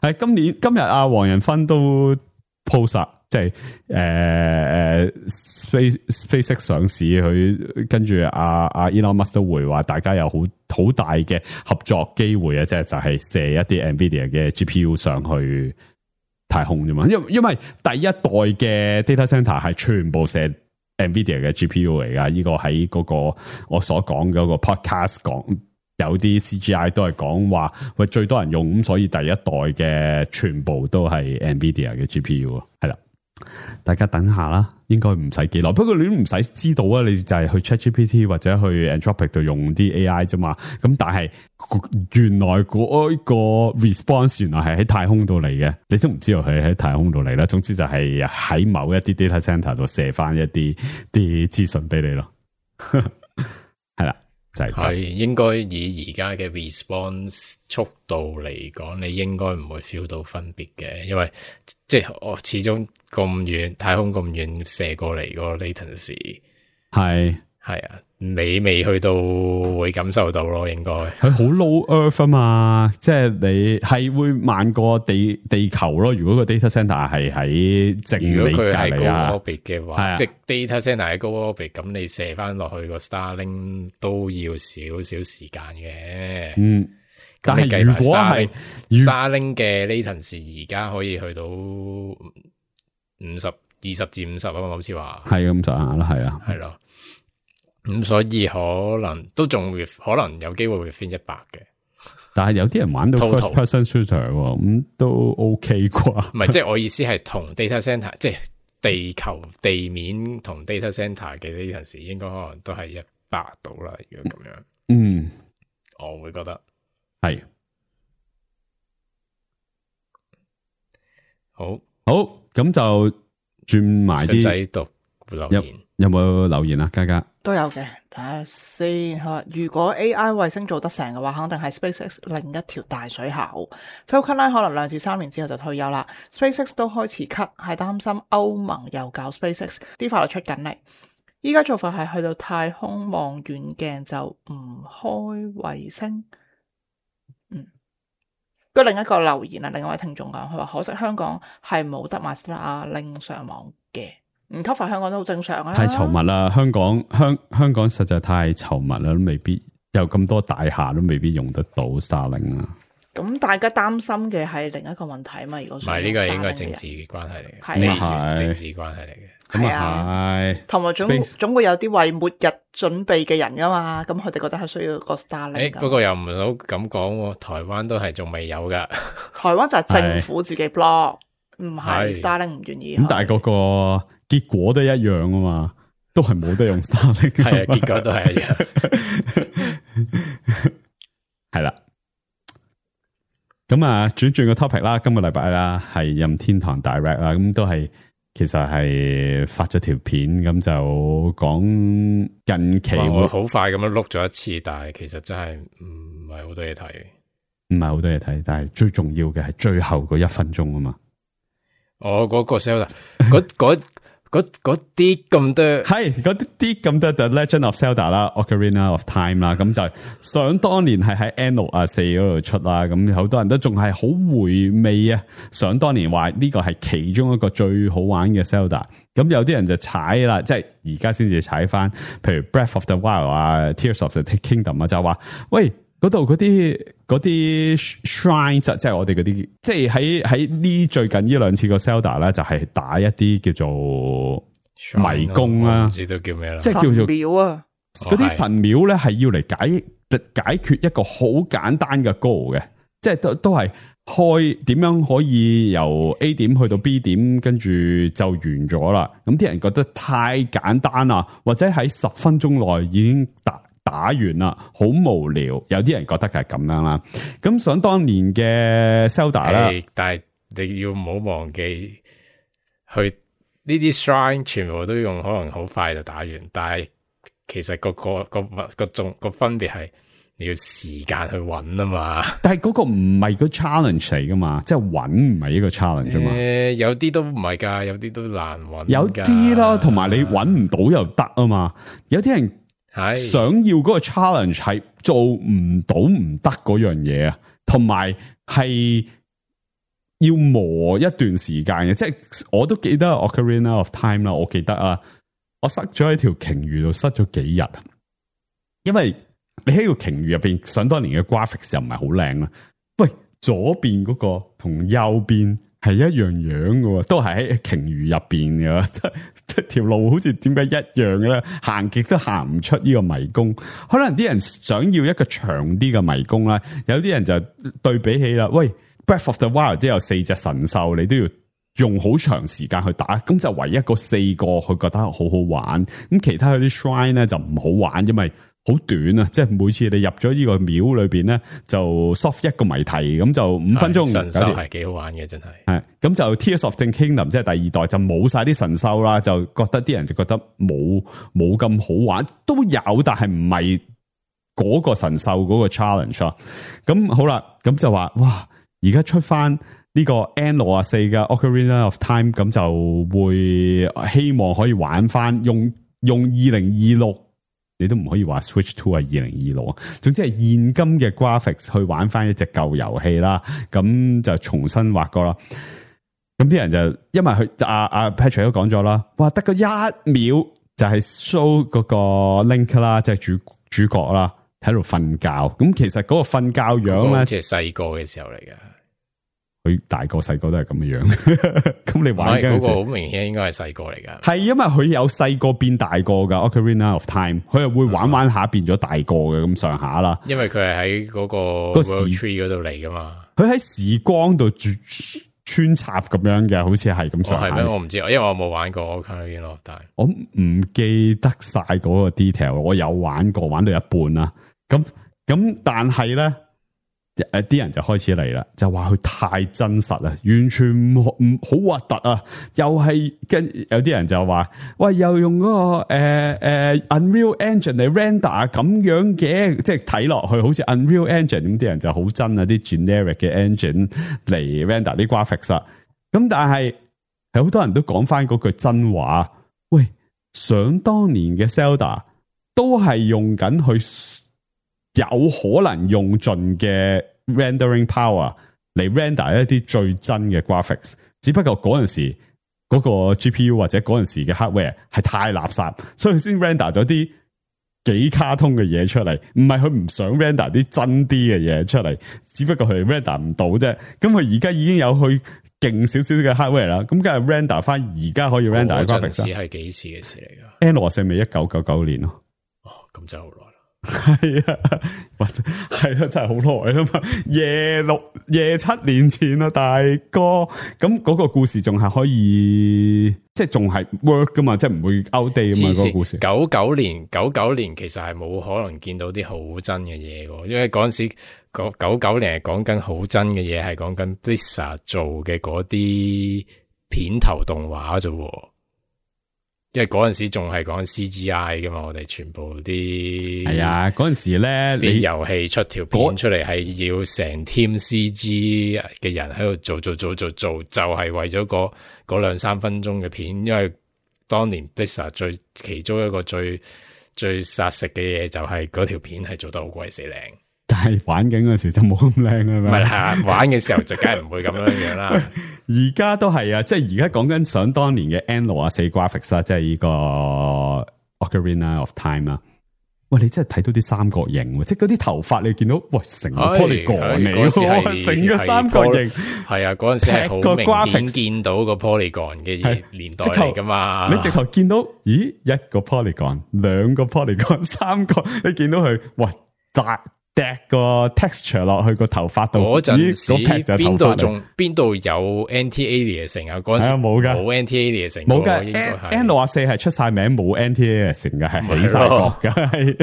係今日阿黃仁勳都 post。即係SpaceX 上市，佢跟住阿 Elon Musk 都會話，大家有好大嘅合作機會啊！即係就係射一啲 NVIDIA 嘅 GPU 上去太空啫嘛。因為第一代嘅 data center 係全部射 NVIDIA 嘅 GPU 嚟噶。呢個喺嗰個我所講嗰個 podcast 講，有啲 CGI 都係講話，喂最多人用咁，所以第一代嘅全部都係 NVIDIA 嘅 GPU 係啦。大家等下啦，應該唔使幾耐。不過你都唔使知道啊，你就係去 ChatGPT 或者去 Anthropic 度用啲 AI 啫嘛。咁但係原來嗰個 response 原來係喺太空度嚟嘅，你都唔知道佢喺太空度嚟啦。總之就係喺某一啲 data center 度射翻一啲資訊俾你咯。係啦。係應該以而家嘅 response 速度嚟講，你應該唔會 feel 到分別嘅，因為即係我始終咁遠，太空咁遠射過嚟個 latency 係啊，你未去到會感受到咯，應該佢好 low earth 啊嘛，即係你係會慢過地球咯。如果個 data center 係喺正你隔離啊，高 orbit 嘅話，即係 data center 喺高 orbit，咁你射翻落去個 Starlink 都要少少時間嘅。嗯，但係如果係 Starlink 嘅 latency 而家可以去到20至50啊嘛，好似話係咁上下啦，係啊，係咯。咁所以可能都仲會可能有機會會翻100嘅，但係有啲人玩到 first person shooter 咁都 OK 啩？唔係，即係我意思係同 data center， 即係地球地面同 data center 嘅呢陣時，應該可能都係100度啦。如果咁樣，嗯，我會覺得係好，咁就轉埋啲仔讀留言。有冇留言啊？嘉嘉都有嘅，睇下先。佢話如果 AI 衛星做得成嘅話，肯定係 SpaceX 另一條大水喉。Falcon 9可能2至3年之後就退休啦。SpaceX 都開始 cut， 係擔心歐盟又搞 SpaceX， 啲法律出緊嚟。依家做法係去到太空望遠鏡就唔開衛星。跟另一個留言啊，另一位聽眾講，佢話可惜香港係冇得買 Starlink 上網嘅。唔cover香港都好正常啊！太稠密啦，香港實在太稠密啦，都未必有咁多大廈都未必用得到 Starlink 啊。咁大家擔心嘅係另一個問題啊嘛，如果唔係呢個係應該政治關係嚟嘅，係啊，政治關係嚟嘅，咁啊係，同埋總會有啲為末日準備嘅人噶嘛，咁佢哋覺得係需要個 Starlink。不過又唔好咁講，台灣都係仲未有噶，台灣就係政府自己 block， 唔係 Starlink 唔願意。咁但係嗰個結果都一樣啊嘛，都係冇得用 Starlink。係啊，結果都係一樣。係啦，咁啊，轉個 topic 啦，今個禮拜啦係任天堂 Direct 啦，咁都係其實係發咗條片，咁就講近期會好快咁樣碌咗一次，但係其實真係唔係好多嘢睇，唔係好多嘢睇，但係最重要嘅係最後嗰1分鐘啊嘛。我嗰個 sell 嗰啲咁多係嗰啲咁多 The Legend of Zelda 啦 ，Ocarina of Time 啦，咁就想當年係喺 N64嗰度出啦，咁好多人都仲係好回味啊！想當年話呢個係其中一個最好玩嘅 Zelda， 咁有啲人就踩啦，即係而家先至踩翻，譬如 Breath of the Wild 啊 ，Tears of the Kingdom 啊，就話喂。嗰度嗰啲 shrine 即係我哋嗰啲，即係喺呢最近呢兩次個 Zelda 咧，就係打一啲叫做迷宮啦，唔知道叫咩啦，即係叫做廟啊，嗰啲神廟咧係要嚟解決一個好簡單嘅 goal 嘅，即係都係開點樣可以由 A 點去到 B 點，跟住就完咗啦。咁啲人覺得太簡單啦，或者喺10分鐘內已經打完啦，好無聊。有啲人覺得係咁樣啦。咁想當年嘅 Zelda 啦，但係你要唔好忘記，去呢啲 shrine 全部都用可能好快就打完，但係其實個分別係你要時間去揾啊嘛。但係嗰個唔係個 challenge 嚟噶嘛，即係揾唔係一個 challenge 嘛。有啲都唔係噶，有啲都難揾。有啲啦，同埋你揾唔到又得啊嘛。有啲人。係想要嗰個 challenge 係做唔到唔得嗰樣嘢啊，同埋係要磨一段時間嘅，即係我都記得 Ocarina of Time 啦，我記得啊，我塞咗喺條鯨魚度塞咗幾日啊，因為你喺條鯨魚入邊，想當年嘅 graphics 又唔係好靚啦，喂，左邊嗰個同右邊係一樣樣嘅，都係喺鯨魚入邊嘅，即係條路好似點解一樣嘅咧？行極都行唔出呢個迷宮。可能啲人想要一個長啲嘅迷宮啦，有啲人就對比起啦。喂 ，Breath of the Wild 都有4隻神獸，你都要用好長時間去打，咁就唯一個4個佢覺得好好玩。咁其他嗰啲 shrine 咧就唔好玩，因為好短啊！即係每次你入咗呢個廟裏邊咧，就 solve 一個謎題，咁就5分鐘。神獸係幾好玩嘅，真係。係咁就 Tears of the Kingdom 即係第2代就冇晒啲神獸啦，就覺得啲人就覺得冇咁好玩，都有，但係唔係嗰個神獸嗰個 challenge 啊。咁好啦，咁就話哇，而家出翻呢個 N64 嘅 Ocarina of Time， 咁就會希望可以玩翻用2026。你都唔可以話 Switch 2係2026啊，總之係現今嘅 graphics 去玩翻一隻舊遊戲啦，咁就重新畫過啦。咁啲人就因為佢阿 Patrick 都講咗啦，哇得個1秒就係 show 嗰個 Link 啦，即係主角啦喺度瞓覺。咁其實嗰個瞓覺樣咧，即係細個嘅時候嚟嘅。佢大個細個都係咁嘅樣，咁你玩嗰陣時，嗰個好明顯應該係細個嚟噶。係因為佢有細個變大個噶 Ocarina of Time， 佢係會玩下變咗大個嘅咁上下啦。因為佢係喺嗰個 World Tree 嗰度嚟噶嘛，佢喺時光度穿插咁樣嘅，好似係咁上下。係咩？我唔知，因為我冇玩過 Ocarina of Time， 我唔記得晒嗰個 detail。我有玩過，玩到一半啦。咁但係咧。啲人就開始嚟啦，就話佢太真實啦，完全唔好核突啊！又係跟有啲人就話，喂，又用嗰個Unreal Engine 嚟 render 咁樣嘅，即係睇落去好似 Unreal Engine 咁，啲人就好憎啊！啲 generic 嘅 engine 嚟 render 啲 graphics 啊。咁但係好多人都講翻嗰句真話，喂，想當年嘅 Zelda 都係用緊去。有可能用盡嘅 rendering power 嚟 render 一啲最真嘅 graphics， 只不過嗰陣時嗰個 GPU 或者嗰陣時嘅 hardware 係太垃圾，所以先 render 咗啲幾卡通嘅嘢出嚟。唔係佢唔想 render 啲真啲嘅嘢出嚟，只不過佢 render 唔到啫。咁佢而家已經有去勁少少嘅 hardware 啦，咁梗係 render 翻而家可以 render 嘅 graphics。係幾時嘅事嚟噶？N64咪1999年咯。哦，咁就好耐。係啊，或者係啦，真係好耐啦嘛，夜7年前啦，大哥。咁嗰個故事仲係可以，即係仲係 work 噶嘛，即係唔會 outdate 噶嘛。嗰個故事99年其實係冇可能見到啲好真嘅嘢嘅，因為嗰陣時99年係講緊好真嘅嘢，係講緊 Blizzard 做嘅嗰啲片頭動畫啫。因為嗰陣時仲係講 CGI 噶嘛，我哋全部啲係啊，嗰陣時咧，啲遊戲出條片出嚟係要成 team CG 嘅人喺度做，就係為咗嗰2-3分鐘嘅片，因為當年 Blizzard 其中一個最殺食嘅嘢就係嗰條片係做得好鬼死靚。但係玩緊嗰時就冇咁靚啊嘛，唔係係玩嘅時候就梗係唔會咁樣樣啦。而家都係啊，即係而家講緊想當年嘅 N64 graphics 啦，即係呢個 Ocarina of Time 啊。喂，你真係睇到啲三角形，即係嗰啲頭髮你見到，喂，成個 polygon 嚟，成個三角形。係啊，嗰陣時係好明顯見到個 polygon 嘅年代嚟噶嘛。你直頭見到，咦，一個 polygon， 兩個 polygon， 三個，你見到佢，喂，掟個 texture 落去個頭髮度，嗰陣時邊度有 anti-aliasing 啊？嗰陣時冇噶，冇 anti-aliasing，冇噶。N64 係出晒名，冇 anti-aliasing 嘅，係起晒角嘅，係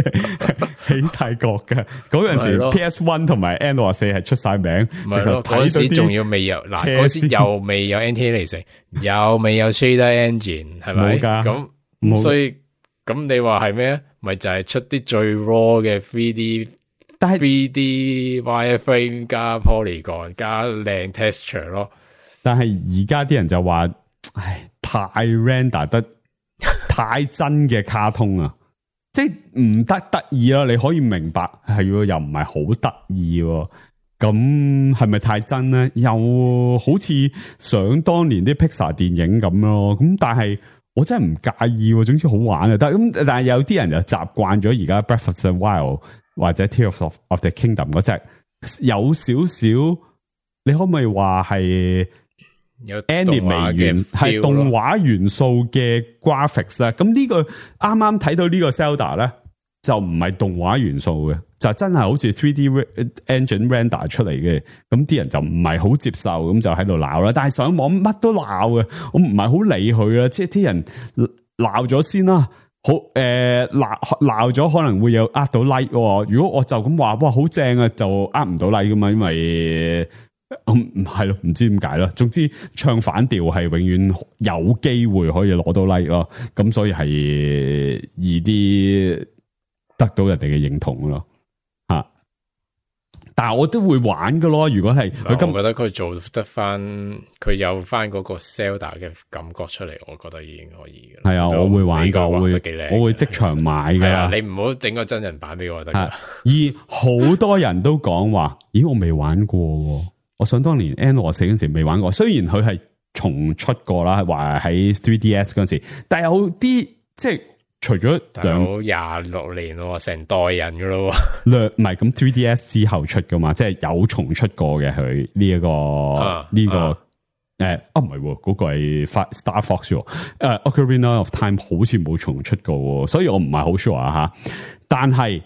起晒角嘅。嗰陣時 PS1 同埋 N64 係出晒名，直頭嗰陣時仲要未有嗱，嗰時又未有 anti-aliasing，又未有 shader engine， 係咪？咁所以咁你話係咩？咪就係出啲最 raw 嘅 3D。但係 3D wireframe 加 polygon 加靚 texture 咯，但係而家啲人就話，唉，太 render 得太真嘅卡通啊，即係唔得意啦。你可以明白係又唔係好得意，咁係咪太真咧？又好似想當年啲 Pixar 電影咁咯。咁但係我真係唔介意，總之好玩啊。但係有啲人就習慣咗而家 Breath of the Wild。或者 Tears of the Kingdom 嗰隻有少少，你可唔可以話係有 anime 元係動畫元素嘅 graphics 咧？咁呢個啱啱睇到呢個 Zelda 咧，就唔係動畫元素嘅，就真係好似 3D engine render 出嚟嘅。咁啲人就唔係好接受，咁就喺度鬧啦。但係上網乜都鬧嘅，我唔係好理佢啦。即係啲人鬧咗先啦。好鬧咗可能會有呃到 like，如果我就咁話哇好正啊，就呃唔到 like 噶嘛，因為係咯，唔知點解啦。總之唱反調係永遠有機會可以攞到 like 咯，咁所以係易啲得到人哋嘅認同咯。但係我都會玩噶咯，如果係我覺得佢做得翻，佢有翻嗰個 Zelda 嘅感覺出嚟，我覺得已經可以嘅。係啊，我會玩噶，我會即場買噶。啊，你唔好整個真人版俾我得噶。而好多人都講話，咦，我未玩過，我想當年 N64 嗰陣時未玩過。雖然佢係重出過啦，話喺 3DS 嗰陣時，但係有啲即係。除咗26年咯，成代人噶咯，唔係咁 3DS 之後出噶嘛，即係有重出過嘅佢呢一個呢個唔係嗰個係 Star Fox Ocarina of Time 好似冇重出過，所以我唔係好 sure 吓。但係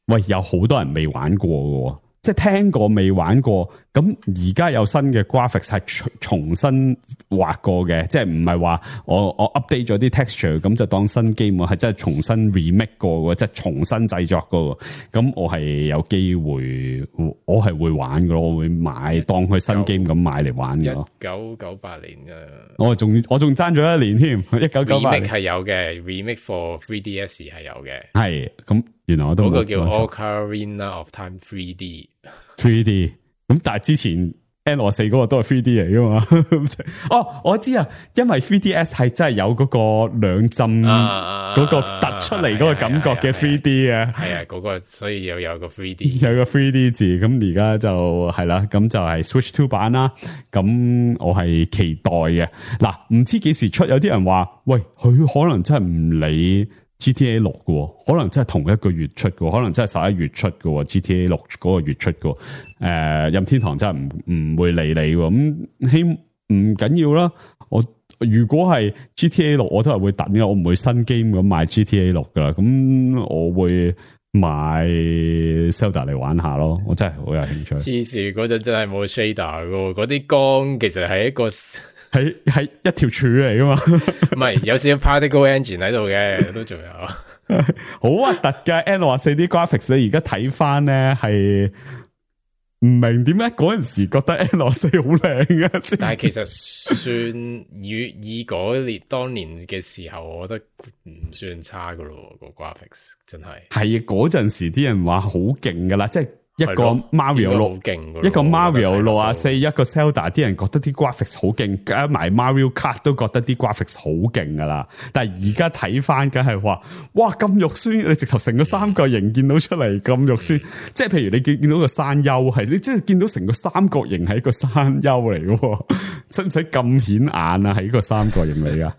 喂，有好多人未玩過嘅，即係聽過未玩過。咁而家有新嘅 graphics 係重新畫過嘅，即係唔係話我 update 咗啲 texture 咁就當新 game，係真係重新 remake 過嘅，即係重新製作過。咁我係有機會，我係會玩嘅，我會買當佢新 game 咁買嚟玩嘅。1998年嘅，我仲爭咗一年添。1998年係有嘅 remake for 3DS 係有嘅，係咁原來我都嗰個叫 Ocarina of Time 3D。咁但係之前 N64 嗰個都係 3D 嚟噶嘛？哦，我知啊，因為 3DS 係真係有嗰個兩針嗰個突出嚟嗰個感覺嘅 3D 啊，係啊，嗰個所以又有個 3D， 有個 3D 字。咁而家就係啦，咁就係 Switch 2版啦。咁我係期待嘅。嗱，唔知幾時出？有啲人話，喂，佢可能真係唔理。GTA 6嘅，可能真係同一個月出嘅，可能真係11月出嘅。GTA 6嗰個月出嘅，任天堂真係唔會理你咁，唔緊要啦。我如果係 GTA 6，我都係會等嘅，我唔會新 game 咁買 GTA 6噶啦。咁我會買 Zelda 嚟玩下咯。我真係好有興趣。黐線，嗰陣真係冇 shader 嘅，嗰啲光其實係一個。係一條柱嚟噶嘛？唔係有少少 particle engine 喺度嘅，都仲有好核突嘅 N64 啲 graphics。你而家睇翻咧，係唔明點解嗰陣時覺得 N64 好靚嘅？但係其實算以嗰年當年嘅時候，我覺得唔算差噶咯。個 graphics 真係嗰陣時啲人話好勁噶啦，即係一個 Mario 好六，勁，一個 Mario 64，一個 Zelda， 啲人覺得啲 graphics 好勁，加埋 Mario Kart 都覺得啲 graphics 好勁噶啦。但係而家睇翻，梗係話，哇咁肉酸！你直頭成個三角形見到出嚟咁肉酸，即係譬如你見到個山丘，係你即係見到成個三角形係一個山丘嚟嘅，使唔使咁顯眼啊？係一個三角形嚟噶。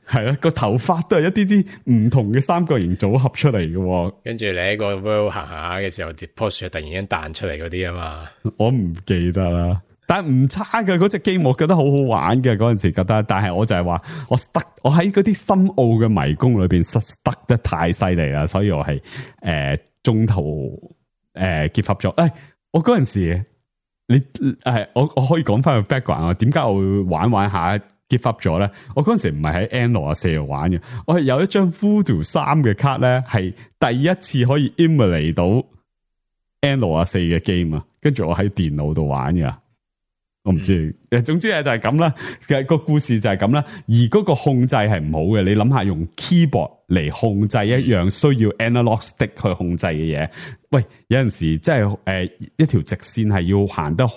係啊，個頭髮都係一啲唔同嘅三角形組合出嚟嘅，跟住你喺個 world 行下嘅時候，棵樹突然間彈出嚟嗰啲啊嘛，我唔記得啦，但係唔差嘅嗰隻 game，我覺得好好玩嘅嗰陣時覺得，但係我就係話我喺嗰啲深奧嘅迷宮裏邊stuck得太犀利啦，所以我係中途give up咗。我嗰陣時我可以講翻個 background 啊，點解我會玩下give up 咗咧？我嗰陣時唔係喺 N64度玩嘅，我係有一張 Voodoo 3嘅卡咧，係第一次可以 emulate 到 N64嘅 game 啊，跟住我喺電腦度玩嘅。我唔知，總之就係咁啦。其實個故事就係咁啦。而嗰個控制係唔好嘅，你諗下用 keyboard 嚟控制一樣需要 analog stick 去控制嘅嘢。喂，有陣時即係一條直線係要行得好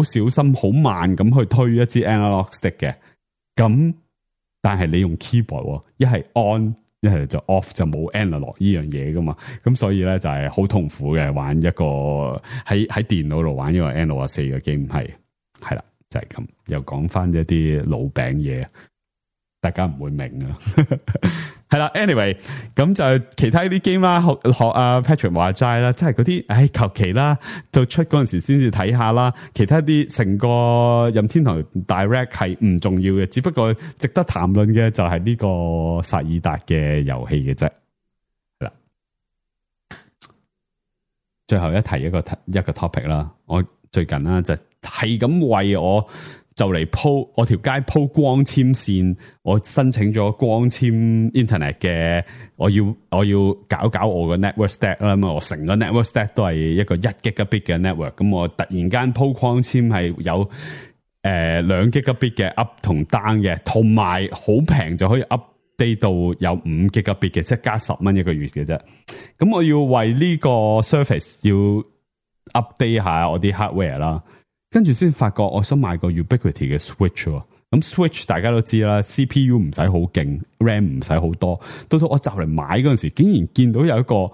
小心、好慢咁去推一支 analog stick 嘅。咁但係你用 keyboard，一係 on，一係就 off， 就冇 analog 呢樣嘢噶嘛。咁所以咧就係好痛苦嘅，玩一個喺電腦度玩一個 N64嘅 game 係啦，就係咁。又講翻一啲老餅嘢，大家唔會明啊。係啦 ，anyway， 咁就其他啲 game 啦，學阿 Patrick 話齋啦，即係嗰啲，求其啦，就出嗰陣時先至睇下啦。其他啲成個任天堂 Direct 係唔重要嘅，只不過值得談論嘅就係呢個薩爾達嘅遊戲嘅啫。係啦，最後一提一個 topic 啦，我最近啦就係咁為我。就嚟鋪我條街鋪光纖線，我申請咗光纖 internet 嘅，我要搞我個 network stack 啦嘛，我成個 network stack 都係一個1 gigabit 嘅 network， 咁我突然間鋪光纖係有2 gigabit 嘅 up 同 down 嘅，同埋好平就可以 update 到有5 gigabit 嘅，即係加10蚊一個月嘅啫。咁我要為呢個 service 要 update 下我啲 hardware 啦。跟住先發覺，我想買個 Ubiquiti 嘅 Switch 喎。咁 Switch 大家都知啦 ，CPU 唔使好勁 ，RAM 唔使好多。到我就嚟買嗰陣時，竟然見到有一個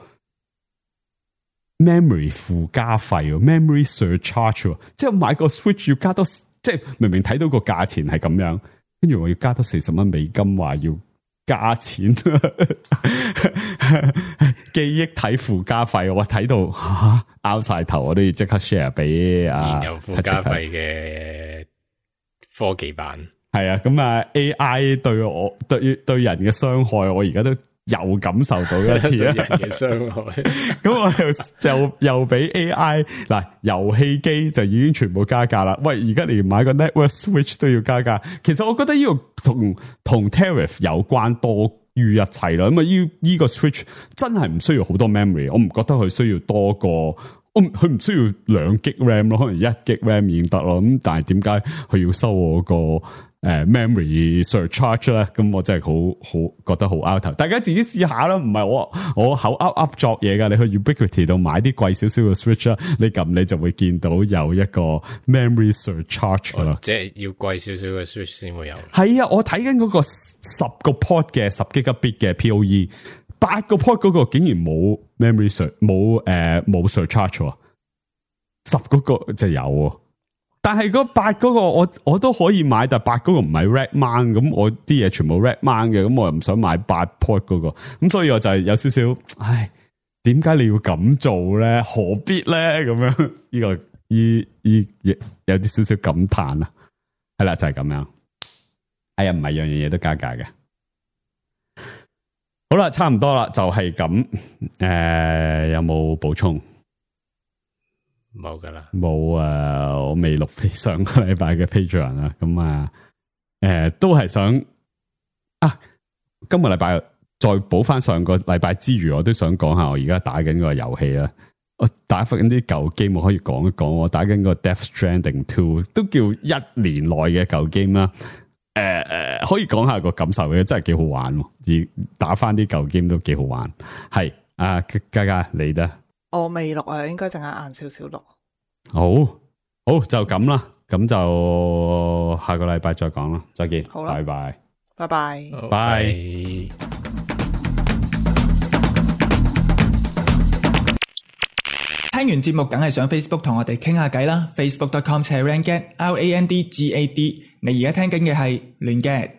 memory 附加費，memory surcharge， 即係買個 Switch 要加多，即係明明睇到個價錢係咁樣，跟住我要加多40蚊美金，話要加錢。記憶體附加費，我睇到拗晒頭，我都要即刻 share 俾有附加費嘅科技版。係啊，咁啊 AI 對人嘅傷害，我而家都又感受到一次啊！人嘅傷害，咁我又俾 AI 嗱，遊戲機就已經全部加價啦。喂，而家連買個 Network Switch 都要加價，其實我覺得呢個同 Tariff 有關多於一切啦。咁啊，呢個 Switch 真係唔需要好多 memory， 我唔覺得佢需要多過。佢唔需要2 G RAM 咯，可能1 G RAM 已經得咯。咁但係點解佢要收我個memory surcharge 咧？咁我真係好覺得好 out 頭。大家自己試下啦，唔係我口噏作嘢噶。你去 Ubiquiti 度買啲貴少少嘅 Switch 啦，你撳你就會見到有一個 memory surcharge 噶啦。即係要貴少少嘅 Switch 先會有。係啊，我睇緊嗰個10個 port 嘅10 Gigabit 嘅 PoE。8個 port 嗰個竟然冇 memory冇 surcharge， 10嗰個就有，但係嗰8嗰個我都可以買，但係8嗰個唔係 red mount， 咁我啲嘢全部 red mount 嘅，咁我又唔想買8 port 嗰個，咁所以我就係有少少，唉，點解你要咁做咧？何必咧？咁樣呢個有啲少少感嘆啊，係啦，就係咁樣。哎呀，唔係樣樣嘢都加價嘅。好啦，差唔多啦，就係咁。有冇補充？冇噶啦，冇啊！我未錄上個禮拜嘅 Patreon 啦，咁啊，都係想啊，今個禮拜再補翻上個禮拜之餘，我都想講下我而家打緊個遊戲啦。我打翻啲舊 game，我可以講一講。我打緊個 Death Stranding 2，都叫1年內嘅舊 game 啦。可以講下個感受嘅，真係幾好玩，而打翻啲舊 game 都幾好玩。係啊，嘉嘉你咧？我未錄啊，應該陣間晏少少錄。好就咁啦，咁就下個禮拜再講啦，再見，好啦，拜拜，拜拜，拜。聽完節目梗係上 Facebook 同我哋傾下偈啦 ，facebook.com/randgad，RANDGAD。你而家聽緊嘅係亂 gad。